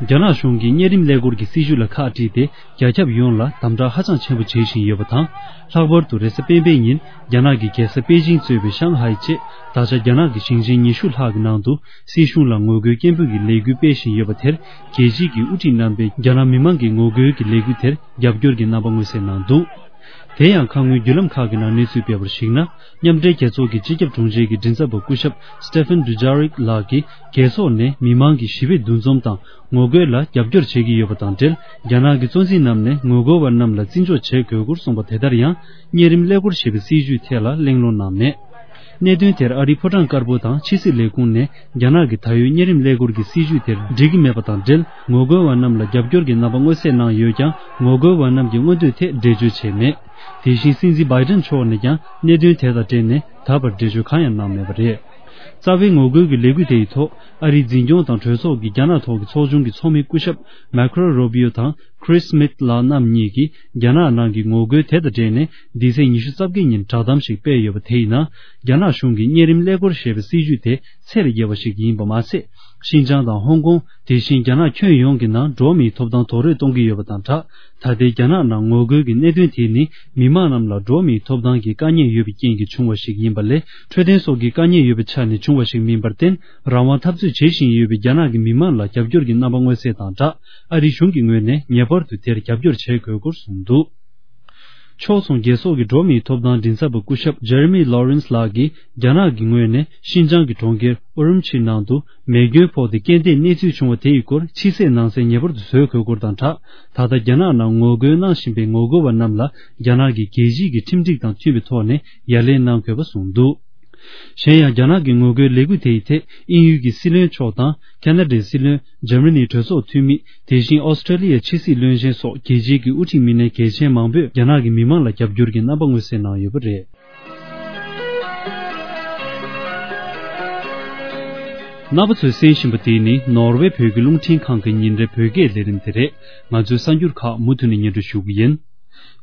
རྒྱ་ནག་གཞུང་གིས་གཉན་རིམས་ཀླད་ཀོར་གྱི་སྲིད་བྱུས་ལ་ཁག་དཀྲིས་ཏེ། རྒྱ་ཁྱབ་ཡོངས་ལ་དམ་དྲག་ཧ་ཅང་ཆེན་པོ་བྱེད་བཞིན་ཡོད་པ་དང་། ལྷག་པར་དུ་རེས་གཟའ་སྤེན་པའི་ཉིན་རྒྱ་ནག་གི་རྒྱལ་ས་པེ་ཅིང་གཙོས་པའི་ཤང་ཧའེ་བཅས་ད་ཆ་རྒྱ་ནག་གི་ཞིང་ཆེན་ཉི་ཤུ་ལྷག་གི་ནང་དུ་སྲིད་གཞུང་ལ་ངོ་རྒོལ་སྐད་འབོད་ཀྱི་ལས་འགུལ་སྤེལ་བཞིན་ཡོད་པ་དེར། རྒྱལ་སྤྱིའི་གི་དབུ་ཁྲིད་རྣམ་པས་རྒྱ་ནག་མི་མང་གི་ངོ་རྒོལ་གྱི་ལས་འགུལ་དེར་རྒྱབ་སྐྱོར་གྱི་རྣམ་པ་མངོན་གསལ་གནང་འདུག་དེ་ཡང་ཁ་སྔོན་བརྒྱུད་ལམ་ཁག་གི་ནང་གནས་ཚུལ་སྤེལ་བར་གཞིགས་ན། མཉམ་འབྲེལ་རྒྱལ་ཚོགས་ཀྱི་སྤྱི་ཁྱབ་དྲུང་ཆེ་གི་མགྲིན་ཚབ་པ་སྐུ་ཞབས་Stephane Dujarric ལགས་ཀྱིས། རྒྱལ་ཚོགས་ནས་མི་མང་གི་ཞི་བའི་འདུ་འཛོམས་དང་ངོ་རྒོལ་ལ་རྒྱབ་སྐྱོར་བྱེད་ཀྱི་ཡོད་པ་དང་འབྲེལ། རྒྱ་ནག་གི་གཙོ་འཛིན་རྣམས་ནས་ངོ་རྒོལ་བ་རྣམས་ལ་བརྩི་འཇོག་བྱེད་དགོས་སྐོར་གསུངས་པ་དེ་ལྟར་ཡང་། གཉན་རིམས་ཀླད་ཀོར་ཞེས་པའི་སྲིད་བྱུས་ཐད་ལ་གླེང་སློང་གནང་མེད། གནད་དོན་དེར་ཨ་རིའི་ཕོ་བྲང་དཀར་པོ་དང་ཕྱི་སྲིད་ལས་ཁུངས་ནས་རྒྱ་ནག་གི་ད་ཡོད་གཉན་རིམས་ཀླད་ཀོར་གྱི་སྲིད་བྱུས་དེར་འགྲིག་གི་མེད་པ་དང་འབྲེལ། ངོ་རྒོལ་བ་རྣམས་ལ་རྒྱབ་སྐྱོར་གྱི་རྣམ་པ་མངོན་གསལ་གནང་ཡོད་ཀྱང་། ངོ་རྒོལ་བ་རྣམས་ཀྱི་མངོན་འདོད་ཐད་འགྲེལ་བརྗོད་བྱས་མེད། དེ་བཞིན་སྲིད་འཛིན་བྷའི་ཏན་མཆོག་ནས་ཀྱང་གནད་དོན་དེ་དང་འབྲེལ་ནས་ད་བར་འགྲེལ་བརྗོད་གང་ཡང་གནང་མེད་པ་རེད། རྩ་བའི་ངོ་རྒོལ་གྱི་ལས་འགུལ་དེ་ཡི་ཐོག་ཨ་རིའི་འཛིན་སྐྱོང་དང་གྲོས་ཚོགས་ཀྱི་རྒྱ་ནག་ཐོག་གི་ཚོགས་ཆུང་གི་ཚོགས་མི་སྐུ་ཞབས་མཱ་ཁོ་རོ་རུ་བྷི་ཡོ་དང་ཁྲིས་སྨིཐ་ལགས་རྣམ་གཉིས་ཀྱིས་རྒྱ་ནག་ནང་གི་ངོ་རྒོལ་དེ་དང་འབྲེལ་ནས་འདི་ཚེས་ཉི་ཤུ་རྩ་བརྒྱད་ཉིན་བསྒྲགས་གཏམ་ཞིག་སྤེལ་ཡོད་པ། དེ་ཡིན་ན། རྒྱ་ནག་གཞུང་གིས་གཉན་རིམས་ཀླད་ཀོར་ཞེས་པའི་སྲིད་བྱུས་དེ་ཚད་ལས་བརྒལ་བ་ཞིག་ཡིན་པ་མ་ཟད། ཤིན་ཅང་དང་ཧོང་ཀོང་། དེ་བཞིན་རྒྱ་ནག་ཁྱོན་ཡོངས་ཀྱི་ནང་འགྲོ་བ་མིའི་ཐོབ་ཐང་རྡོག་རོལ་གཏོང་གི་ཡོད་པ་དང་སྦྲགས། ད་ལྟའི་རྒྱ་ནག་ནང་ངོ་རྒོལ་གྱི་གནད་དོན་དེ་ནི་མི་མང་རྣམས་ལ་འགྲོ་བ་མིའི་ཐོབ་ཐང་གི་དཀའ་ཉེན་ཡོད་པའི་རྐྱེན་གྱིས་བྱུང་བ་ཞིག་ཡིན་པ་ལས། འཕྲོད་བསྟེན་སོགས་ཀྱི་དཀའ་ཉེན་ཡོད་པའི་ཆ་ནས་བྱུང་བ་ཞིག་མིན་པར་བརྟེན། རང་དབང་འཐབ་རྩོད་བྱེད་བཞིན་ཡོད་པའི་རྒྱ་ནག་གི་མི་མང་ལ་རྒྱབ་སྐྱོར་གྱི་རྣམ་པ་མངོན་གསལ་དང་སྦྲགས། ཨ་རིའི་གཞུང་གི་ངོས་ནས་ངེས་པར་དུ་དེར་རྒྱབ་སྐྱོར་བྱེད་དགོས་སྐོར་གསུངས་འདུག་ཕྱོགས་མཚུངས་རྒྱལ་ཚོགས་ཀྱི་འགྲོ་བ་མིའི་ཐོབ་ཐང་མགྲིན་ཚབ་པ་སྐུ་ཞབས་ཇེ་རེ་མི་ལོ་རེན་སི་ལགས་ཀྱིས། རྒྱ་ནག་གི་ངོས་ནས་ཤིན་ཅང་གི་གྲོང་ཁྱེར་ཨུ་རུམ་ཆི་ནང་དུ་མེ་སྐྱོན་ཕོག་སྟེ་སྐྱེ་ལྡན་གནས་ཚུལ་བྱུང་བ་དེ་ཡི་སྐོར་ཕྱི་གསལ་ནང་གསལ་ངེས་པར་དུ་བཟོ་དགོས་སྐོར་དང་སྦྲགས། ད་ལྟ་རྒྱ་ནག་ནང་ངོ་རྒོལ་གནང་བཞིན་པའི་ངོ་རྒོལ་བ་རྣམས་ལ་རྒྱ་ནག་གི་རྒྱལ་སྤྱིའི་ཁྲིམས་སྒྲིག་དང་མཐུན་པའི་ཐོག་ནས་ཡ་ལན་གནང་དགོས་པ་གསུངས་འདུག་གཞན་ཡང་། རྒྱ་ནག་གི་ངོ་རྒོལ་ལས་འགུལ་དེ་ཡི་ཐད་དབྱིན་ཡུལ་གྱི་སྲིད་བློན་མཆོག་དང་། ཁ་ན་ཌའི་སྲིད་བློན། འཇར་མ་ནིའི་གྲོས་ཚོགས་འཐུས་མི། དེ་བཞིན་ཨོ་སི་ཀྲེ་ལི་ཡའི་ཕྱི་སྲིད་བློན་ཆེན་སོགས་རྒྱལ་སྤྱིའི་དབུ་ཁྲིད་མི་སྣ་གལ་ཆེན་མང་པོས་རྒྱ་ནག་གི་མི་མང་ལ་རྒྱབ་སྐྱོར་གྱི་རྣམ་པ་མངོན་གསལ་གནང་ཡོད་པ་རེད། རྣམ་པ་ཚོས་གསན་བཞིན་པ་འདི་ནི་ནོར་ཝེ་བོད་ཀྱི་རླུང་འཕྲིན་ཁང་གི་ཉིན་རེའི་བོད་སྐད་ལས་རིམ་དེ་རེད། ང་ཚོའི་གསར་འགྱུར་ཁག་མུ་མཐུད་ནས་སྙན་སྒྲོན་ཞུ་གི་ཡིན།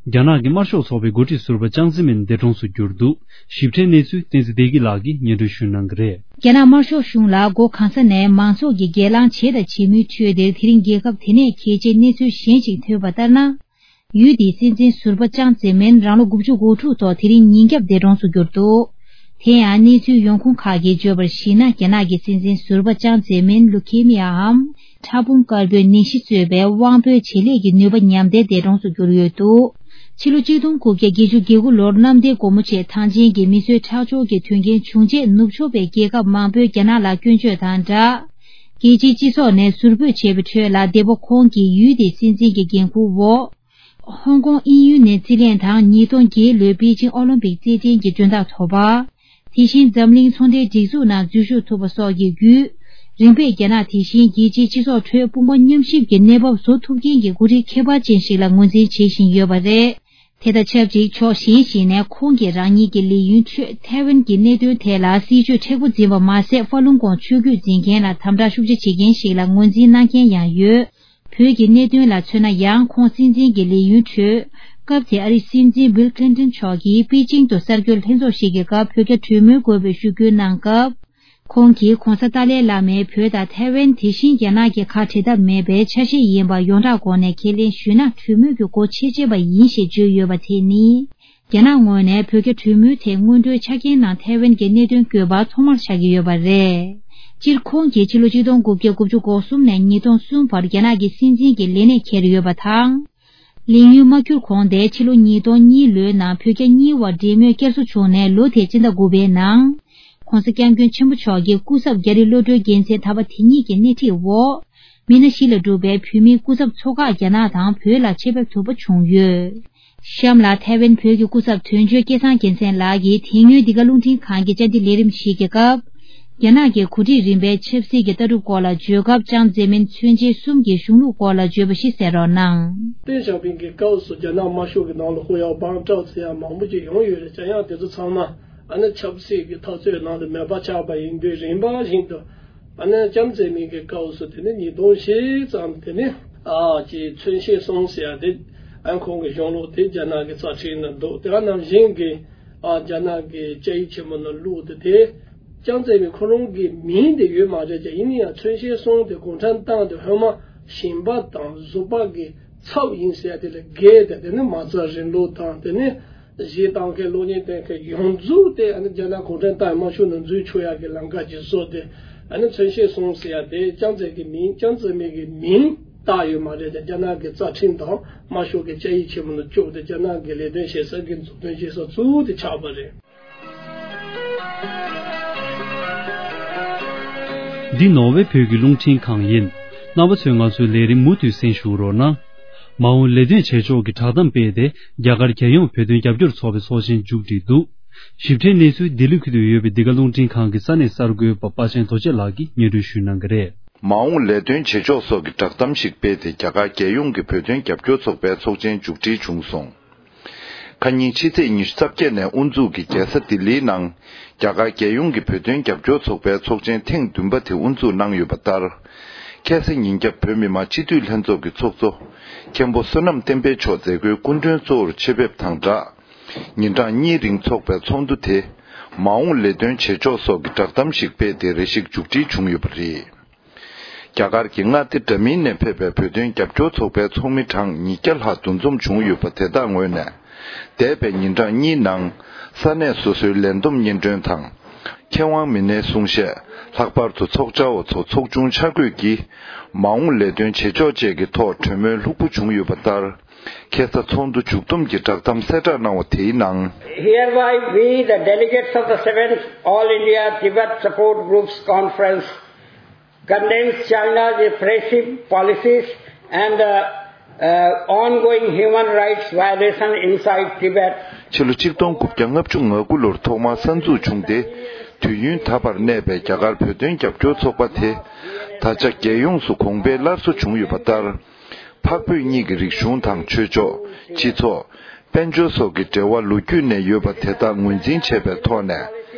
རྒྱ་ནག་གི་དམར་ཤོག་ཚོགས་པའི་འགོ་ཁྲིད་ཟུར་པ་ཅང་ཙེ་མིན་འདས་གྲོངས་སུ་གྱུར་འདུག་ཞིབ་ཕྲའི་གནས་ཚུལ་བསྟན་འཛིན་བདེ་སྐྱིད་ལགས་ཀྱིས་སྙན་སྒྲོན་ཞུ་གནང་གི་རེད། རྒྱ་ནག་དམར་ཤོག་གཞུང་ལ་སྒོ་གང་ས་ནས་མང་ཚོགས་ཀྱིས་སྒེར་ལངས་བྱས་དང་བྱེད་མུས་ཁྲོད་དེར། དེ་རིང་རྒྱལ་ཁབ་དེ་ནས་གལ་ཆེའི་གནས་ཚུལ་གཞན་ཞིག་ཐོན་པ་ལྟར་ན། ཡུལ་དེའི་སྲིད་འཛིན་ཟུར་པ་ཅང་ཙེ་མིན་རང་ལོ་དགུ་བཅུ་གོ་དྲུག་ཐོག་དེ་རིང་ཉིན་རྒྱབ་འདས་གྲོངས་སུ་གྱུར་འདུག་དེ་ཡང་གནས་ཚུལ་ཡོང་ཁུངས་ཁག་གིས་བརྗོད་པར་གཞིགས་ན། རྒྱ་ནག་གི་སྲིད་འཛིན་ཟུར་པ་ཅང་ཙེ་མིན་ལུ་ཁེ་མི་ཡའམ་ཕྲ་ཕུང་དཀར་པོའི་ནད་གཞི་གཙོས་པའི་དབང་པོའི་བྱེད་ལས་ཀྱི་ནུས་པ་ཉམས་ཏེ་འདས་གྲོངས་སུ་གྱུར་ཡོད་འདུག་ཕྱི་ལོ་གཅིག་སྟོང་དགུ་བརྒྱ་བརྒྱད་ཅུ་གྱ་དགུ་ལོར་གནམ་བདེ་སྒོ་མོ་ཆེ་ཐང་ཆེན་གྱི་མི་གསོད་ཁྲག་སྦྱོར་གྱི་དོན་རྐྱེན་བྱུང་རྗེས། ནུབ་ཕྱོགས་པའི་རྒྱལ་ཁབ་མང་པོས་རྒྱ་ནག་ལ་སྐྱོན་བརྗོད་དང་སྦྲགས། རྒྱལ་སྤྱིའི་སྤྱི་ཚོགས་ནས་ཟུར་འབོད་བྱས་པའི་ཁྲོད་ལ། འདས་པོ་ཁོང་གིས་ཡུལ་དེའི་སྲིད་འཛིན་གྱི་འགན་འཁུར་འོག་ཧོང་ཀོང་དབྱིན་ཡུལ་ནས་རྩིས་ལེན་དང་། ཉིས་སྟོང་བརྒྱད་ལོའི་པེ་ཅིང་ཨོ་ལིམ་པིག་རྩེད་འགྲན་གྱི་མགྲོན་བདག་ཐོབ་པ། དེ་བཞིན་འཛམ་གླིང་ཚོང་འབྲེལ་སྒྲིག་འཛུགས་ནང་འཛུལ་ཞུགས་ཐུབ་པ་སོགས་ཀྱི་བརྒྱུད། རིམ་པས་རྒྱ་ནག་དེ་བཞིན་རྒྱལ་སྤྱིའི་སྤྱི་ཚོགས་ཁྲོད་དཔུང་པ་མཉམ་གཤིབ་ཀྱི་གནས་བབ་བཟོ་ཐུབ་མཁན་གྱི་འགོ་ཁྲིད་ཁྱད་པར་ཅན་ཞིག་ལ་ངོས་འཛིན་བྱེད་བཞིན་ཡོད་པ་རེད། དེ་དང་ཆབས་ཅིག་ཕྱོགས་གཞན་ཞིག་ནས་ཁོང་གིས་རང་ཉིད་ཀྱི་ལས་ཡུན་ཁྲོད་ཐའེ་ཝན་གྱི་གནད་དོན་ཐད་ལ་སྲིད་བྱུས་མཁྲེགས་པོ་འཛིན་པ་མ་ཟད། ཧྥ་ལུང་ཀོང་ཆོས་བརྒྱུད་འཛིན་མཁན་ལ་དམ་དྲག་ཤུགས་ཆེ་བྱེད་མཁན་ཞིག་ལ་ངོས་འཛིན་གནང་མཁན་ཡང་ཡོད། བོད་ཀྱི་གནད་དོན་ལ་མཚོན་ན་ཡང་། ཁོང་སྲིད་འཛིན་གྱི་ལས་ཡུན་ཁྲོད། སྐབས་དེའི་ཨ་རིའི་སྲིད་འཛིན་བྷིལ་ཁི་ལིན་ཏོན་མཆོག་གིས་པེ་ཅིང་དུ་གསར་འགོད་ལྷན་ཚོགས་ཤིག་གི་སྐབས་བོད་རྒྱ་གྲོས་མོལ་དགོས་པའི་ཞུ་སྐུལ་གནང་སྐབས། ཁོང་གིས་༧གོང་ས་ཏཱ་ལའི་བླ་མས་བོད་དང་ཐའེ་ཝན་དེ་བཞིན་རྒྱ་ནག་གི་ཁ་བྲལ་ཐབས་མེད་པའི་ཆ་ཤས་ཡིན་པ་ཡོངས་གྲགས་སྒོ་ནས་ཁས་ལེན་ཞུས་ན། གྲོས་མོལ་གྱི་སྒོ་ཕྱེ་བྱས་པ་ཡིན་ཞེས་བརྗོད་ཡོད་པ་དེ་ནི། རྒྱ་ནག་ངོས་ནས་བོད་རྒྱ་གྲོས་མོལ་ཐད་སྔོན་འགྲོའི་ཆ་རྐྱེན་ནང་ཐའེ་ཝན་གྱི་གནད་དོན་བཀོད་པ་ཐོག་མར་ཆགས་ཀྱི་ཡོད་པ་རེད། སྤྱིར་ཁོང་གིས་ཕྱི་ལོ་ཆིག་སྟོང་དགུ་བརྒྱ་དགུ་བཅུ་གོ་གསུམ་ནས་ཉིས་སྟོང་གསུམ་བར་རྒྱ་ནག་གི་སྲིད་འཛིན་གྱི་ལས་གནས་འཁྱེར་ཡོད་པ་དང་། ལས་ཡུན་མ་འཁྱོལ་གོང་དེ་ཕྱི་ལོ་ཉིས་སྟོང་གཉིས་ལོའི་ནང་བོད་རྒྱ་གཉིས་བར་འབྲེལ་མོལ་བསྐྱར་གསོ་བྱུང་ནས། ལོ་དེའི་སྤྱི་ཟླ་དགུ་པའི་ནང་། ༸གོང་ས་༸སྐྱབས་མགོན་ཆེན་པོ་མཆོག་གིས་སྐུ་ཚབ་རྒྱ་རིགས་བློ་གྲོས་རྒྱལ་མཚན་དམ་པ་དེ་ཉིད་ཀྱི་སྣེ་ཁྲིད་འོག་མི་སྣ་བཞི་ལས་གྲུབ་པའི་བོད་མིའི་སྐུ་ཚབ་ཚོགས་ཁག་རྒྱ་ནག་དང་བོད་ལ་ཆེད་ཕེབས་ཐུབ་པ་བྱུང་ཡོད། གཤམ་ལ་ཐའེ་ཝན་བོད་ཀྱི་སྐུ་ཚབ་དོན་གཅོད་སྐལ་བཟང་རྒྱལ་མཚན་ལགས་ཀྱིས་དེ་སྔོན་འདི་ག་རླུང་འཕྲིན་ཁང་གི་བཅར་འདྲི་ལས་རིམ་ཞིག་གི་སྐབས། རྒྱ་ནག་གི་འགོ་ཁྲིད་རིམ་པའི་ཆབ་སྲིད་ཀྱི་ལྟ་གྲུབ་སྐོར་ལ་བརྗོད་སྐབས། ཅང་ཙེ་མིན་མཚོན་བྱེད་གསུམ་གྱི་གཞུང་ལུགས་སྐོར་ལ་བརྗོད་པ་ཞིག་གསན་རོགས་གནང་། ཏེང་ཞའོ་ཕིང་གི་སྐབས་སུ་རྒྱ་ནག་དམར་ཤོག་གི་ནང་ལ་ཧུ་ཡའོ་པང་ཀྲའོ་ཙེ་ཡང་མང་པོ་ཅིག་ཡོང་ཡོད་རེད། ཅང་ཡང་དེ་ཚོ་ཚང་མ་ཨ་ནི་ཆབ་སྲིད་ཀྱི་འཐབ་རྩོད་ནང་དུ་མེད་པ་ཆགས་པ་ཡིན་དུས། རིམ་པ་བཞིན་དུ་ཨ་ནི་ཅང་ཙེ་མིན་གྱི་སྐབས་སུ་དེ་ནི་ཉིས་སྟོང་བཞི་ཙམ། དེ་ནི་ཨ་ཅེ་མཚོན་བྱེད་གསུམ་ཟེར་ཡ་དེ། ཨ་ཁོང་གི་གཞུང་ལུགས་དེ་རྒྱ་ནག་གི་རྩ་ཁྲིམས་ནང་འདུག་དེ་ག་ནང་བཞིན་གྱི་ཨ་རྒྱ་ནག་གི་བཅའ་ཡིག་ཆེན་མོ་ནང་བླུགས་ཏེ། དེ་ཅང་ཙེ་མིན་ཁོ་རང་གི་མིང་དེ་ཡོད་མ་རེད་ཀྱང་། ཡིན་ན་ཡང་མཚོན་བྱེད་གསུམ་དེ་གུང་ཁྲན་ཏང་དེ་སྔོན་མ་ཞིང་པ་དང་གཟུ་པ་གི་ཚབ་ཡིན་ཟེར་ཡ་དེ་ལས་བརྒལ་ཏེ། དེ་ནི་མ་རྩ་རིང་ལུགས་དང་། དེ་ནི་གཞས་བཏང་མཁན་གློག་བརྙན་བསྟན་མཁན་ཡོངས་རྫོགས་དེ་ཨ་ནི་རྒྱ་ནག་གུང་ཁྲན་ཏང་དམར་ཤོག་ནང་འཛུལ་ཆོག་ཡག་གི་ལམ་ཁ་ཅིག་བཟོས་ཏེ། ཨ་ནི་མཚོན་བྱེད་གསུམ་ཟེར་ཡ་དེ་ཅང་ཙེ་གི་མིང་། ཅང་ཙེ་མིན་གི་མིང་བཏགས་ཡོད་མ་རེད་ཀྱང་། རྒྱ་ནག་གི་རྩ་ཁྲིམས་དང་དམར་ཤོག་གི་བཅའ་ཡིག་ཆེན་མོ་ནང་བཅུག་སྟེ། རྒྱ་ནག་གི་ལས་དོན་བྱེད་ས་གི་མཛུབ་སྟོན་བྱེད་ས་ཚུལ་དེ་ཆགས་པ་རེད། འདི་ནོར་ཝེ་བོད་ཀྱི་རླུང་འཕྲིན་ཁང་ཡིན། རྣམ་པ་ཚོས་ང་ཚོའི་ལས་རིམ་མུ་མཐུད་གསན་ཞུ་རོགས་གནང་། མ་འོངས་ལས་དོན་བྱེད་ཕྱོགས་ཀྱི་བསྒྲགས་གཏམ་སྤེལ་ཏེ། རྒྱ་གར་རྒྱལ་ཡོངས་བོད་དོན་རྒྱབ་སྐྱོར་ཚོགས་པའི་ཚོགས་ཆེན་མཇུག་སྒྲིལ་འདུག་ཞིབ་ཕྲའི་གནས་ཚུལ་ལྡི་ལི་ཁུལ་དུ་ཡོད་པའི་འདི་ག་རླུང་འཕྲིན་ཁང་གི་ས་གནས་གསར་འགོད་པ་པ་ཆེན་རྡོ་རྗེ་ལགས་ཀྱིས་སྙན་སྒྲོན་ཞུ་གནང་གི་རེད། མ་འོངས་ལས་དོན་བྱེད་ཕྱོགས་སོགས་ཀྱི་བསྒྲགས་གཏམ་ཞིག་སྤེལ་ཏེ། རྒྱ་གར་རྒྱལ་ཡོངས་ཀྱི་བོད་དོན་རྒྱབ་སྐྱོར་ཚོགས་པའི་ཚོགས་ཆེན་མཇུག་སྒྲིལ་བྱུང་སོང་། ཁ་ཉིན་ཕྱི་ཚེས་ཉི་ཤུ་རྩ་བརྒྱད་ནས་དབུ་འཛུགས་ཀྱིས་རྒྱལ་ས་ལྡི་ལིའི་ནང་རྒྱ་གར་རྒྱལ་ཡོངས་ཀྱི་བོད་དོན་རྒྱབ་སྐྱོར་ཚོགས་པའི་ཚོགས་ཆེན་ཐེངས་བདུན་པ་དེ་དབུ་འཛུགས་གནང་ཡོད་པ་ལྟར། ཁ་སང་ཉིན་རྒྱབ་བོད་མི་མང་སྤྱི་འཐུས་ལྷན་ཚོགས་ཀྱི་ཚོགས་གཙོ་མཁན་པོ་བསོད་ནམས་བསྟན་འཕེལ་མཆོག་མཛད་སྒོའི་སྐུ་མགྲོན་གཙོ་བོར་ཆེད་ཕེབས་དང་སྦྲགས། ཉིན་གྲངས་གཉིས་རིང་འཚོགས་པའི་ཚོགས་འདུ་དེ། མ་འོངས་ལས་དོན་བྱེད་ཕྱོགས་སོགས་ཀྱི་བསྒྲགས་གཏམ་ཞིག་སྤེལ་ཏེ་རེ་ཞིག་མཇུག་སྒྲིལ་བྱུང་ཡོད་པ་རེད། རྒྱ་གར་གྱི་མངའ་སྡེ་འདྲ་མིན་ནས་ཕེབས་པའི་བོད་དོན་རྒྱབ་སྐྱོར་ཚོགས་པའི་ཚོགས་མི་གྲངས་ཉིས་བརྒྱ་ལྷག་འདུ་འཛོམས་བྱུང་ཡོད་པ་དེ་དག་ངོས་ནས། འདས་པའི་ཉིན་གྲངས་གཉིས་ནང་ས་གནས་སོ་སོའི་ལས་བསྡོམས་སྙན་སྒྲོན་དང་། མཁས་དབང་མི་སྣའི་གསུང་བཤད། ལྷག་པར་དུ་ཚོགས་བཅར་བ་ཚོ་ཚོགས་ཆུང་ཆ་བགོས་ཀྱིས་མ་འོངས་ལས་དོན་བྱེད་ཕྱོགས་བཅས་ཀྱི་ཐོག་གྲོས་མོལ་ལྷུག་པོ་བྱུང་ཡོད་པ་ལྟར། ཁ་སང་ཚོགས་འདུ་མཇུག་བསྡོམས་ཀྱི་བསྒྲགས་གཏམ་གསལ་བསྒྲགས་གནང་བ་དེའི་ནང་། Hereby, we, the delegates of the seventh All India Tibet Support Groups Conference, condemns China's repressive policies and the uh, ongoing human rights violation inside Tibet. ཕྱི་ལོ་ཆིག་སྟོང་དགུ་བརྒྱ་ལྔ་བཅུ་ང་དགུ་ལོར་ཐོག་མར་གསར་འཛུགས་བྱུང་སྟེ། དུས་ཡུན་ད་བར་གནས་པའི་རྒྱ་གར་བོད་དོན་རྒྱབ་སྐྱོར་ཚོགས་པ་དེ། ད་ཆ་རྒྱལ་ཡོངས་སུ་གོང་འཕེལ་སླར་གསོ་བྱུང་ཡོད་པ་ལྟར། འཕགས་བོད་གཉིས་ཀྱི་རིག་གཞུང་དང་ཆོས་ཕྱོགས། སྤྱི་ཚོགས། དཔལ་འབྱོར་སོགས་ཀྱི་འབྲེལ་བ་ལོ་རྒྱུས་ནས་ཡོད་པ་དེ་དག་ངོས་འཛིན་བྱས་པའི་ཐོག་ནས།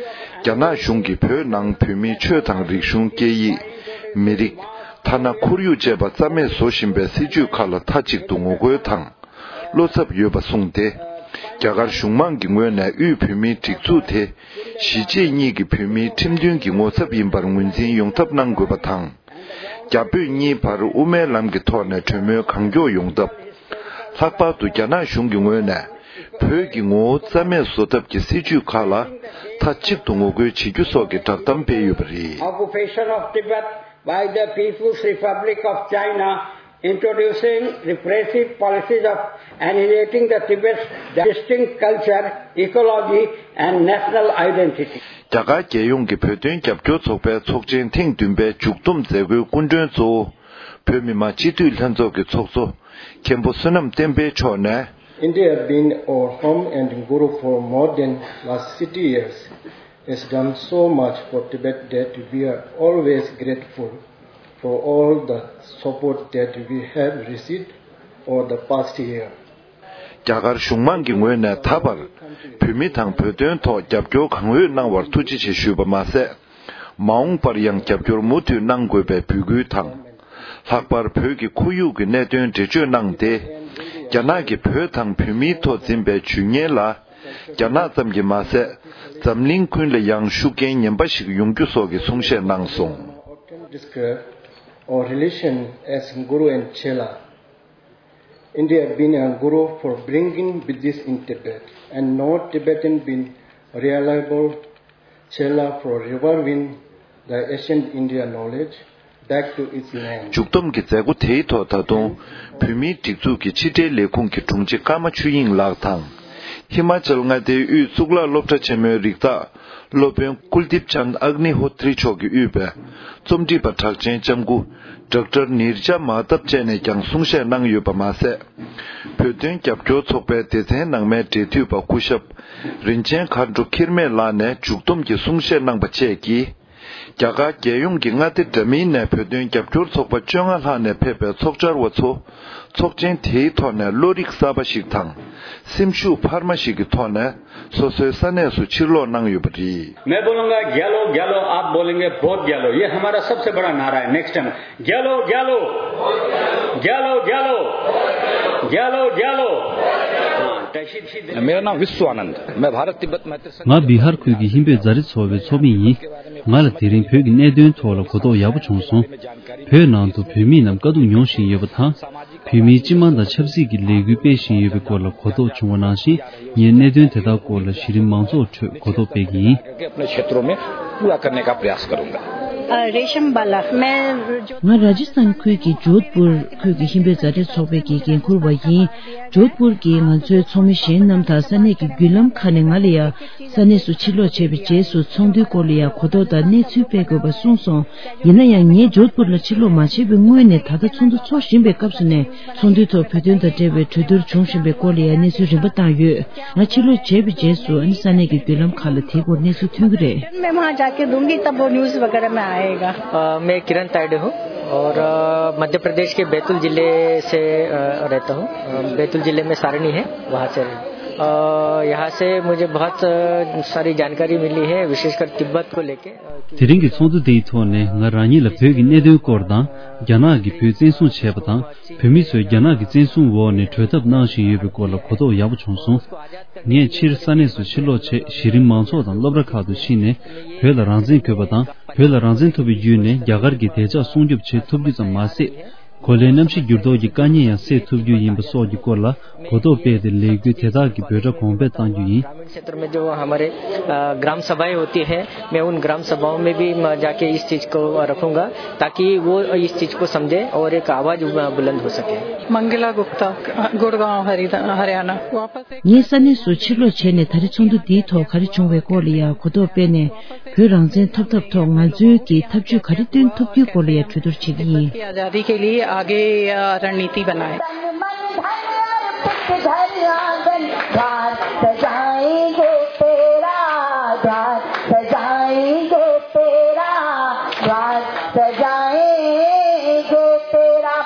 རྒྱ་ནག་གཞུང་གིས་བོད་ནང་བོད་མིའི་ཆོས་དང་རིག་གཞུང་། སྐད་ཡིག་མི་རིགས། ཐ་ན་ཁོར་ཡུག་བཅས་པ་རྩ་མེད་བཟོ་བཞིན་པའི་སྲིད་བྱུས་ཁག་ལ་མཐའ་གཅིག་ཏུ་ངོ་རྒོལ་དང་། བློ་འཚབ་ཡོད་པ་གསུངས་ཏེ། རྒྱ་གར་གཞུང་མང་གི་ངོས་ནས་དབུས་བོད་མིའི་སྒྲིག་འཛུགས་དེ། གཞིས་བྱེས་གཉིས་ཀྱི་བོད་མིའི་ཁྲིམས་མཐུན་གྱི་ངོ་ཚབ་ཡིན་པར་ངོས་འཛིན་ཡོང་ཐབས་གནང་དགོས་པ་དང་། རྒྱ་བོད་གཉིས་བར་དབུ་མའི་ལམ་གྱི་ཐོག་ནས་གྲོས་མོལ་གང་མགྱོགས་ཡོང་ཐབས། ལྷག་པར་དུ་རྒྱ་ནག་གཞུང་གི་ངོས་ནས་བོད་ཀྱི་ངོ་བོ་རྩ་མེད་བཟོ་ཐབས་ཀྱི་སྲིད་བྱུས་ཁག་ལ་མཐའ་གཅིག་ཏུ་ངོ་རྒོལ་བྱེད་རྒྱུ་སོགས་ཀྱི་བསྒྲགས་གཏམ་སྤེལ་ཡོད་པ་རེད། Occupation of Tibet by the People's Republic of China, introducing repressive policies of annihilating the Tibet's distinct culture, ecology, and national identity. རྒྱ་གར་རྒྱལ་ཡོངས་ཀྱི་བོད་དོན་རྒྱབ་སྐྱོར་ཚོགས་པའི་ཚོགས་ཆེན་ཐེངས་བདུན་པའི་མཇུག་བསྡོམས་མཛད་སྒོའི་སྐུ་མགྲོན་གཙོ་བོ། བོད་མི་མང་སྤྱི་འཐུས་ལྷན་ཚོགས་ཀྱི་ཚོགས་གཙོ། མཁན་པོ་བསོད་ནམས་བསྟན་འཕེལ་མཆོག་ནས། India has been our home and guru for more than last sixty years. Has done so much for Tibet that we are always grateful for all the support that we have received over the past year. རྒྱ་གར་གཞུང་མང་གི་ངོས་ནས་ད་བར་བོད་མི་དང་བོད་དོན་ཐོག་རྒྱབ་སྐྱོར་གང་འོས་གནང་བར་ཐུགས་རྗེ་ཆེ་ཞུས་པ་མ་ཟད། མ་འོངས་པར་ཡང་རྒྱབ་སྐྱོར་མུ་མཐུད་གནང་དགོས་པའི་འབོད་སྐུལ་དང་། ལྷག་པར་བོད་ཀྱི་ཁོར་ཡུག་གི་གནད་དོན་འགྲེལ་བརྗོད་གནང་སྟེ། རྒྱ་ནག་གིས་བོད་དང་བོད་མིའི་ཐོག་འཛིན་པའི་ཇུས་ངན་ལ། རྒྱ་ནག་ཙམ་གྱིས་མ་ཟད། འཛམ་གླིང་ཀུན་ལ་ཡང་ཤུགས་རྐྱེན་ངན་པ་ཞིག་ཡོང་རྒྱུ་སོགས་ཀྱི་གསུང་བཤད་གནང་སོང་། Often describe our relation as Guru and Chela. India been a guru for bringing Buddhist in Tibet, and no Tibetan been reliable Chela for reviving the ancient India knowledge back to its land. མཇུག་བསྡོམས་ཀྱི་མཛད་སྒོ་དེའི་ཐོག་ད་དུང་བོད་མིའི་སྒྲིག་འཛུགས་ཀྱི་ཕྱི་དྲིལ་ལས་ཁུངས་ཀྱི་དྲུང་ཆེ་ཀརྨ་ཆོས་དབྱིངས་ལགས་དང་། ཧི་མ་ཅལ་མངའ་སྡེའི་དབུས་གཙུག་ལག་སློབ་གྲྭ་ཆེན་མོའི་རིགས་བདག་སློབ་དཔོན་ཀུལ་དིབ་ཅན་ཨག་ནི་ཧོ་ཏྲི་མཆོག་གིས་དབུས་པའི་རྩོམ་སྒྲིག་པ་གྲགས་ཅན་ལྕམ་སྐུ་ཌོག་ཊར་ནིར་ཇ་མ་ཧ་ཏབ་བཅས་ནས་ཀྱང་གསུང་བཤད་གནང་ཡོད་པ་མ་ཟད། བོད་དོན་རྒྱབ་སྐྱོར་ཚོགས་པའི་སྡེ་ཚན་ནང་མའི་འབྲེལ་མཐུད་པ་སྐུ་ཞབས། རིན་ཆེན་མཁའ་འགྲོ་འཁྱིལ་མེད་ལགས་ནས་མཇུག་བསྡོམས་ཀྱི་གསུང་བཤད་གནང་པ་བཅས་ཀྱིས། རྒྱ་གར་རྒྱལ་ཡོངས་ཀྱི་མངའ་སྡེ་འདྲ་མིན་ནས་བོད་དོན་རྒྱབ་སྐྱོར་ཚོགས་པ་བཅོ་ལྔ་ལྷག་ནས་ཕེབས་པའི་ཚོགས་བཅར་བ་ཚོ། ཚོགས་ཆེན་དེའི་ཐོག་ནས་བློ་རིག་གསར་པ་ཞིག་དང་། སེམས་ཤུགས་འཕར་མ་ཞིག་གི་ཐོག་ནས་སོ་སོའི་ས་གནས་སུ་ཕྱིར་ལོག་གནང་ཡོད་པ་རེད། मैं बोलूंगा, "ग्यालो, ग्यालो, आप बोलेंगे, बहुत ग्यालो।" ये हमारा सबसे बड़ा नारा है। नेक्स्ट टाइम, "ग्यालो, ग्यालो, ग्यालो, ग्यालो, ग्यालो, ग्यालो।" हाँ, तशी, तशी मेरा नाम विश्व आनंद। मैं भारत तिब्बत मैत्री संघ ང་བི་ཧར་ཁུལ་གྱི་ཧིན་བོད་མཛའ་རིས་ཚོགས་པའི་ཚོགས་མི་ཡིན། ང་ལ་དེ་རིང་བོད་ཀྱི་གནད་དོན་ཐོག་ལ་གོ་རྟོགས་ཡག་པོ་བྱུང་སོང་། བོད་ནང་དུ་བོད་མིའི་རྣམས་དཀའ་སྡུག་མྱོང་བཞིན་ཡོད་པ་དང་། བོད་མིའི་སྤྱི་དམངས་དང་ཆབ་སྲིད་ཀྱི་ལས་འགུལ་སྤེལ་བཞིན་ཡོད་པའི་སྐོར་ལ་གོ་རྟོགས་བྱུང་བ་ནང་བཞིན། ངས་གནད་དོན་དེ་དག་སྐོར་ལ་གཞི་རིམ་མང་ཚོགས་ཁྲོད་གོ་རྟོགས་སྤེལ་གྱི་ཡིན། अपने क्षेत्रों में पूरा करने का प्रयास करूंगा। रेशम बाला। मैं ང་ར་ཇི་སི་ཐན་ཁུལ་གྱི་ཇོད་པུར་ཁུལ་གྱི་ཧིན་བོད་མཛའ་འབྲེལ་ཚོགས་པའི་གི་འགན་འཁུར་བ་ཡིན། ཇོད་པུར་གྱི་ང་ཚོའི་ཚོགས་མི་གཞན་རྣམས་དང་ས་གནས་ཀྱི་བརྒྱུད་ལམ་ཁག་ནས་ང་ལ་ཡང་ས་གནས་སུ་ཕྱིར་ལོག་བྱས་པའི་རྗེས་སུ་ཚོགས་འདུའི་སྐོར་ལ་ཡང་གོ་རྟོགས་དང་གནས་ཚུལ་སྤེལ་དགོས་པ་གསུངས་སོང་། ཡིན་ན་ཡང་ངས་ཇོད་པུར་ལ་ཕྱིར་ལོག་མ་བྱས་པའི་སྔོན་ནས་ད་ལྟ་ཚོགས་འདུ་འཚོགས་བཞིན་པའི་སྐབས་སུ་ནས་ཚོགས་འདུའི་ཐོག་བོད་དོན་དང་འབྲེལ་བའི་གྲོས་བསྡུར་བྱུང་བཞིན་པའི་སྐོར་ལ་ཡང་གནས་ཚུལ་རིམ་པ་བཏང་ཡོད། ང་ཕྱིར་ལོག་བྱས་པའི་རྗེས་སུ་ཨ་ནི་ས་གནས་ཀྱི་བརྒྱུད་ལམ་ཁག་ལ་དེའི་སྐོར་གནས་ཚུལ་ཐོན་གྱི་རེད། मैं वहाँ जाके दूंगी, तब वो न्यूज़ वगैरह में आएगा। अ, मैं किरण तायडे हूँ और, अ, मध्य प्रदेश के बैतूल जिले से, अ, रहता हूँ। अ, बैतूल जिले में सारणी है, वहाँ से। अ, यहाँ से मुझे बहुत, अ, सारी जानकारी मिली है, विशेषकर तिब्बत को लेके। དེ་རིང་གི་ཚོགས་འདུ་འདིའི་ཐོག་ནས་ང་རང་ཉིད་ལ་བོད་ཀྱི་གནད་དོན་སྐོར་དང་། རྒྱ་ནག་གིས་བོད་བཙན་བཟུང་བྱས་པ་དང་། བོད་མི་ཚོས་རྒྱ་ནག་གི་བཙན་བཟུང་འོག་ནས་གྲོས་ཐབས་གནང་བཞིན་ཡོད་པའི་སྐོར་ལ་གོ་རྟོགས་ཡག་པོ་བྱུང་སོང་། ངས་ཕྱིར་ས་གནས་སུ་ཕྱིར་ལོག་བྱས། གཞི་རིམ་མང་ཚོགས་དང་སློབ་གྲྭ་ཁག་ཏུ་ཕྱིན་ནས། བོད་ལ་རང་བཙན་དགོས་པ་དང་། བོད་ལ་རང་བཙན་ཐོབ་པའི་བརྒྱུད་ནས་རྒྱ་གར་གྱི་དད་ཕྱོགས་སྲུང་སྐྱོབ་བྱེད་ཐུབ་རྒྱུ་ཙམ་མ་ཟད། གོ་ལའི་གནམ་གཤིས་འགྱུར་ལྡོག་གི་དཀའ་ཉེན་ཡང་སེལ་ཐུབ་རྒྱུ་ཡིན་པ་སོགས་ཀྱི་སྐོར་ལ་གོ་རྟོགས་སྤེལ་ཏེ། ལས་འགུལ་དེ་དག་གི་འབོད་སྒྲ་གོང་འཕེལ་གཏང་རྒྱུ་ཡིན། ग्रामीण क्षेत्र में जो हमारे, अ, ग्राम सभाएं होती है, मैं उन ग्राम सभाओं में भी, अ, जाके इस चीज को रखूंगा, ताकि वो इस चीज को समझे और एक आवाज, अ, बुलंद हो सके। मंगला गुप्ता, गुड़गांव, हरिद-, हरियाणा। वापस एक ངས་ས་གནས་སུ་ཕྱིར་ལོག་བྱས་ནས་ད་རེས་ཚོགས་འདུ་འདིའི་ཐོག་ག་རེ་བྱུང་བའི་སྐོར་ལ་ཡང་གོ་རྟོགས་སྤེལ་ནས། བོད་རང་བཙན་ཐོབ་ཐབས་ཐོག་ང་ཚོའི་གི་ཐབས་ཇུས་ག་རེ་བཏོན་ཐུབ་རྒྱུའི་སྐོར་ལ་ཡང་གྲོས་བསྡུར་བྱེད་ཀྱི་ཡིན། की आजादी के लिए आगे, अ, रणनीति बनाए।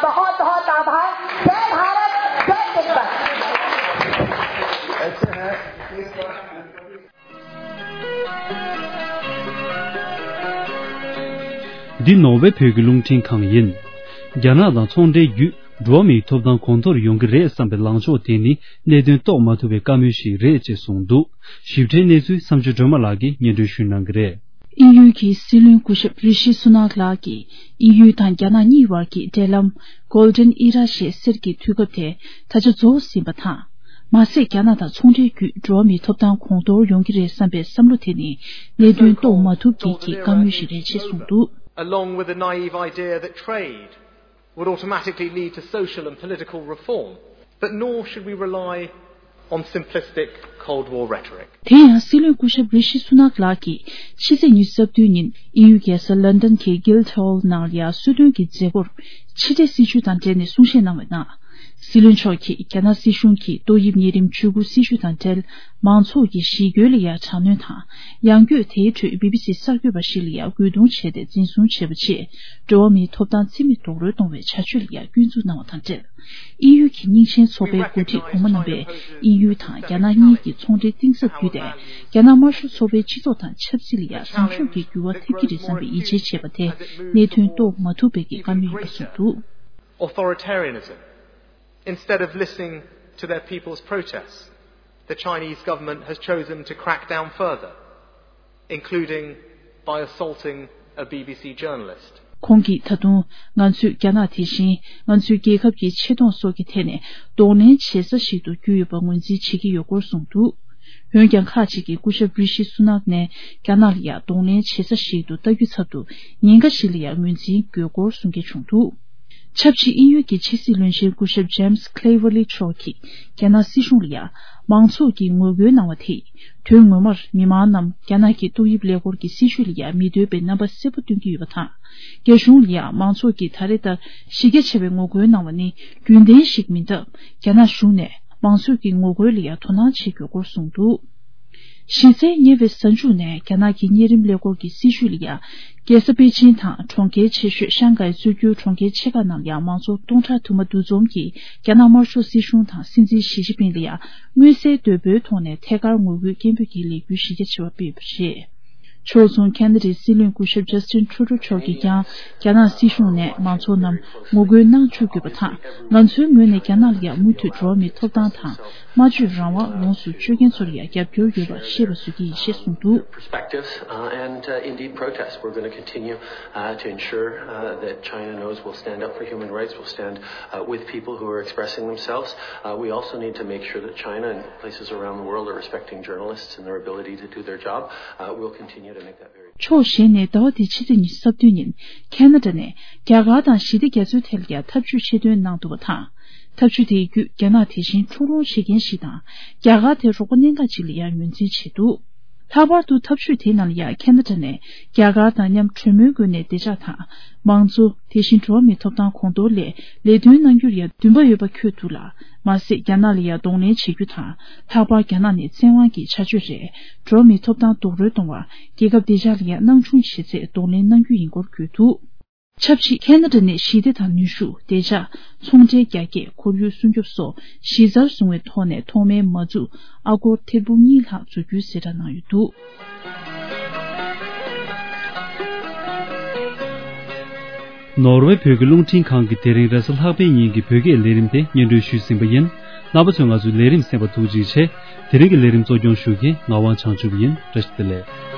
बहुत बहुत आभार। जय भारत, जय तिब्बत। འདི་ནོར་ཝེ་བོད་ཀྱི་རླུང་འཕྲིན་ཁང་ཡིན། རྒྱ་ནག་དང་ཚོང་འབྲེལ་བརྒྱུད་འགྲོ་བ་མིའི་ཐོབ་ཐང་གོང་མཐོར་ཡོང་གི་རེད་བསམ་པའི་ལངས་ཕྱོགས་དེ་ནི་གནད་དོན་རྟོགས་མ་ཐུབ་པའི་བཀའ་མོལ་ཞིག་རེད་ཅེས་གསུངས་འདུག་ཞིབ་ཕྲའི་གནས་ཚུལ་བསམ་ཚུལ་སྒྲོལ་མ་ལགས་ཀྱིས་སྙན་སྒྲོན་ཞུ་གནང་གི་རེད། དབྱིན་ཡུལ་གྱི་སྲིད་བློན་སྐུ་ཞབས་རི་ཤི་སུ་ནག་ལགས་ཀྱིས་དབྱིན་ཡུལ་དང་རྒྱ་ནག་གཉིས་བར་གྱི་འབྲེལ་ལམ་Golden Era ཞེས་ཟེར་གྱི་དུས་སྐབས་དེ་ད་ཆ་རྫོགས་ཟིན་པ་དང་། མ་ཟད། རྒྱ་ནག་དང་ཚོང་འབྲེལ་བརྒྱུད་འགྲོ་བ་མིའི་ཐོབ་ཐང་གོང་མཐོར་ཡོང་གི་རེད་བསམ་པའི་བསམ་བློ་དེ་ནི་གནད་དོན་རྟོགས་མ་ཐུབ་མཁན་གྱི་བཀའ་མོལ་ཞིག་རེད་ཅེས་གསུངས་འདུག Along with the naive idea that trade would automatically lead to social and political reform, but nor should we rely on simplistic Cold War rhetoric. དེ་ཡང་སྲིད་བློན་སྐུ་ཞབས་རི་ཤི་སུ་ནག་ལགས་ཀྱིས་ཕྱི་ཚེས་ཉི་ཤུ་རྩ་བདུན་ཉིན་དབྱིན་ཡུལ་རྒྱལ་ས་ལོན་ཌོན་གྱི་Guildhall ནང་ལ་ཡ་གསོལ་སྟོན་གྱི་མཛད་སྒོར་ཕྱི་འབྲེལ་སྲིད་བྱུས་དང་འབྲེལ་ནས་གསུང་བཤད་གནང་བའི་ནང་། སྲིད་བློན་མཆོག་གིས་རྒྱ་ནག་སྲིད་གཞུང་གིས་ཏོག་དབྱིབས་གཉན་རིམས་འཇུག་སྒོ་སྲིད་བྱུས་དང་འབྲེལ་མང་ཚོགས་ཀྱི་ཞི་རྒོལ་ལ་ཡ་དྲག་གནོན་དང་། ཡང་སྒོས་དེའི་ཁྲོད་བི་བི་སི་གསར་འགོད་པ་ཞིག་ལ་ཡ་རྒོལ་རྡུང་བྱས་ཏེ་འཛིན་བཟུང་བྱས་པ་བཅས་འགྲོ་བ་མིའི་ཐོབ་ཐང་རྩིས་མེད་རྡོག་རོལ་གཏོང་བའི་བྱ་སྤྱོད་ལ་ཡ་སྐྱོན་འཛུགས་གནང་བ་དང་འབྲེལ། དབྱིན་ཡུལ་གྱི་སྙིང་ཆེན་ཚོགས་པའི་འགོ་ཁྲིད་གོང་མ་རྣམ་པས་དབྱིན་ཡུལ་དང་རྒྱ་ནག་གཉིས་ཀྱི་ཚོང་འབྲེལ་གཏིང་ཟབ་བརྒྱུད་དེ། རྒྱ་ནག་དམར་ཤོག་ཚོགས་པའི་སྤྱི་ཚོགས་དང་ཆབ་སྲིད་ལ་ཡ་བཟང་ཕྱོགས་ཀྱི་འགྱུར་བ་ཐེབས་ཀྱི་རེད་བསམ་པའི་ཡིད་ཆེས་བྱས་པ་དེ་གནད་དོན་རྟོགས་མ་ཐུབ་པའི་གི་བཀའ་མོལ་ཡིན་པ་གསུངས་འདུག Authoritarianism, instead of listening to their people's protests, the Chinese government has chosen to crack down further, including by assaulting a B B C journalist. ཁོང་གིས་ད་དུང་ང་ཚོས་རྒྱ་ནག་དེ་བཞིན་ང་ཚོའི་རྒྱལ་ཁབ་ཀྱི་ཆེ་མཐོང་སོགས་ཀྱི་ཐད་ནས་གདོང་ལེན་བྱེད་ས་ཞིག་ཏུ་གྱུར་ཡོད་པ་ངོས་འཛིན་བྱེད་ཀྱི་ཡོད་སྐོར་གསུངས་འདུག་འོན་ཀྱང་ཁག་ཅིག་གིས་སྐུ་ཞབས་རི་ཤི་སུ་ནག་ནས་རྒྱ་ནག་ལ་ཡང་གདོང་ལེན་བྱེད་ས་ཞིག་ཏུ་ལྟ་རྒྱུ་ཚབ་ཏུ་ཉེན་ཁ་ཞིག་ལ་ཡང་ངོས་འཛིན་དགོས་སྐོར་གསུང་མཁན་བྱུང་འདུག་ཆབས་ཅིག་དབྱིན་ཡུལ་གྱི་ཕྱི་སྲིད་བློན་ཆེན་སྐུ་ཞབས་James Cleverly མཆོག་གིས་རྒྱ་ནག་སྲིད་གཞུང་ལ་ཡང་མང་ཚོགས་ཀྱིས་ངོ་རྒོལ་གནང་བ་དེས་དོན་ངོ་མར་མི་མང་རྣམས་རྒྱ་ནག་གི་ཏོག་དབྱིབས་ཀླད་ཀོར་གྱི་སྲིད་བྱུས་ལ་ཡང་མི་འདོད་པའི་རྣམ་པ་གསལ་པོ་སྟོན་གྱི་ཡོད་པ་དང་། རྒྱ་གཞུང་ལ་ཡང་མང་ཚོགས་ཀྱིས་ད་རེས་ལྟར་གཞི་རྒྱ་ཆེ་བའི་ངོ་རྒོལ་གནང་བ་ནི་རྒྱུན་ལྡན་ཞིག་མིན་སྟབས། རྒྱ་ནག་གཞུང་ནས་མང་ཚོགས་ཀྱི་ངོ་རྒོལ་ལ་ཡང་དོ་སྣང་བྱེད་དགོས་སྐོར་གསུངས་འདུག་གཞི་རྩའི་ཉེ་བའི་གཟའ་མཇུག་ནས་རྒྱ་ནག་གི་གཉན་རིམས་ཀླད་ཀོར་གྱི་སྲིད་བྱུས་ལ་ཡང་རྒྱལ་ས་པེ་ཅིན་དང་གྲོང་ཁྱེར་ཆེ་ཤོས་ཤང་ཀའི་གཙོ་རྒྱུ་གྲོང་ཁྱེར་ཆེ་ཁག་ནང་ལ་ཡང་མང་ཚོགས་སྟོང་ཕྲག་དུ་མ་འདུ་འཛོམས་ཀྱིས་རྒྱ་ནག་དམར་ཤོག་སྲིད་གཞུང་དང་སྲིད་འཛིན་ཞི་ཅིན་ཕིང་ལ་ཡང་མངོན་གསལ་དོད་པོའི་ཐོག་ནས་ཐད་ཀར་ངོ་རྒོལ་སྐད་འབོད་ཀྱི་ལས་འགུལ་གཞི་རྒྱ་ཆེ་བ་སྤེལ་ཡོད་པ་རེད། ཕྱོགས་མཚུངས་ཁེ་ན་ཌའི་སྲིད་བློན་སྐུ་ཞབས་Justin Trudeau མཆོག་གིས་ཀྱང་རྒྱ་ནག་སྲིད་གཞུང་ནས་མང་ཚོགས་རྣམས་ངོ་རྒོལ་གནང་བཅུག་དགོས་པ་དང་། ང་ཚོའི་ངོས་ནས་རྒྱ་ནག་ལ་ཡང་མུ་མཐུད་འགྲོ་བ་མིའི་ཐོབ་ཐང་དང་སྨྲ་བརྗོད་རང་དབང་ལོངས་སུ་སྤྱོད་མཁན་ཚོར་ཡང་རྒྱབ་སྐྱོར་ཡོད་པ་ཤེས་པ་བཟོ་གི་ཡིན་ཞེས་གསུངས་འདུག Perspectives, uh, and, uh, indeed protest. We're going to continue, uh, to ensure, uh, that China knows we'll stand up for human rights, we'll stand, uh, with people who are expressing themselves. Uh, we also need to make sure that China and places around the world are respecting journalists and their ability to do their job. Uh, we'll continue to ཕྱོགས་གཞན་ནས་ཟླ་བ་འདིའི་ཕྱི་ཚེས་ཉི་ཤུ་རྩ་བདུན་ཉིན་ཁེ་ན་ཌ་ནས་རྒྱ་གར་དང་ཞི་བདེ་རྒྱ་མཚོའི་ཐད་ལ་ཡང་འཐབ་ཇུས་ཆེད་འདོན་གནང་འདུག་པ་དང་། འཐབ་ཇུས་དེའི་བརྒྱུད་རྒྱ་ནག་དེ་བཞིན་འཁྲུག་སློང་བྱེད་མཁན་ཞིག་དང་། རྒྱ་གར་དེ་རོགས་པ་གནད་འགག་ཅིག་ལ་ཡང་ངོས་འཛིན་བྱས་འདུག་ལྷག་པར་དུ་འཐབ་ཇུས་དེའི་ནང་ལ་ཡང་ཁེ་ན་ཌ་ནས་རྒྱ་གར་དང་མཉམ་གྲོས་མོལ་སྒོ་ནས་བདེ་འཇགས་དང་། མང་གཙོ། དེ་བཞིན་འགྲོ་བ་མིའི་ཐོབ་ཐང་གོང་མཐོར་སླེབས་ལས་དོན་གནང་རྒྱུར་ཡང་འདུན་པ་ཡོད་པ་འཁོད་འདུག་ལ། མ་ཟད། རྒྱ་ནག་ལ་ཡང་གདོང་ལེན་བྱེད་རྒྱུ་དང་། ལྷག་པར་རྒྱ་ནག་ནས་བཙན་དབང་གི་བྱ་སྤྱོད་རེད། འགྲོ་བ་མིའི་ཐོབ་ཐང་རྡོག་རོལ་གཏོང་བར་རྒྱལ་ཁབ་བདེ་འཇགས་ལ་ཡང་སྣང་ཆུང་བྱེད་ཚད་གདོང་ལེན་གནང་རྒྱུ་ཡིན་སྐོར་བརྗོད་འདུག་ཆབས་ཅིག་ཁེ་ན་ཌ་ནས་ཞི་བདེ་དང་ནུས་ཤུགས། བདེ་འཇགས། ཚོང་འབྲེལ་རྒྱ་སྐྱེད། ཁོར་ཡུག་སྲུང་སྐྱོབ་སོགས་གཞི་རྩར་བཟུང་བའི་ཐོག་ནས་ཐོག་མའི་མ་འཛུགས་ཨ་སྒོར་ཐེར་འབུམ་གཉིས་ལྷག་འཛུགས་རྒྱུའི་གསལ་བསྒྲགས་གནང་ཡོད་འདུག་ནོར་ཝེ་བོད་ཀྱི་རླུང་འཕྲིན་ཁང་གིས་དེ་རིང་རེས་གཟའ་ལྷག་པའི་ཉིན་གྱི་བོད་སྐད་ལས་རིམ་དེ་སྙན་སྒྲོན་ཞུས་ཟིན་པ་ཡིན། རྣམ་པ་ཚོས་ང་ཚོའི་ལས་རིམ་གསན་པར་ཐུགས་རྗེ་ཆེ། དེ་རིང་གི་ལས་རིམ་གཙོ་སྐྱོང་ཞུ་མཁན་ངག་དབང་བྱང་ཆུབ་ཡིན། བཀྲ་ཤིས་བདེ་ལེགས།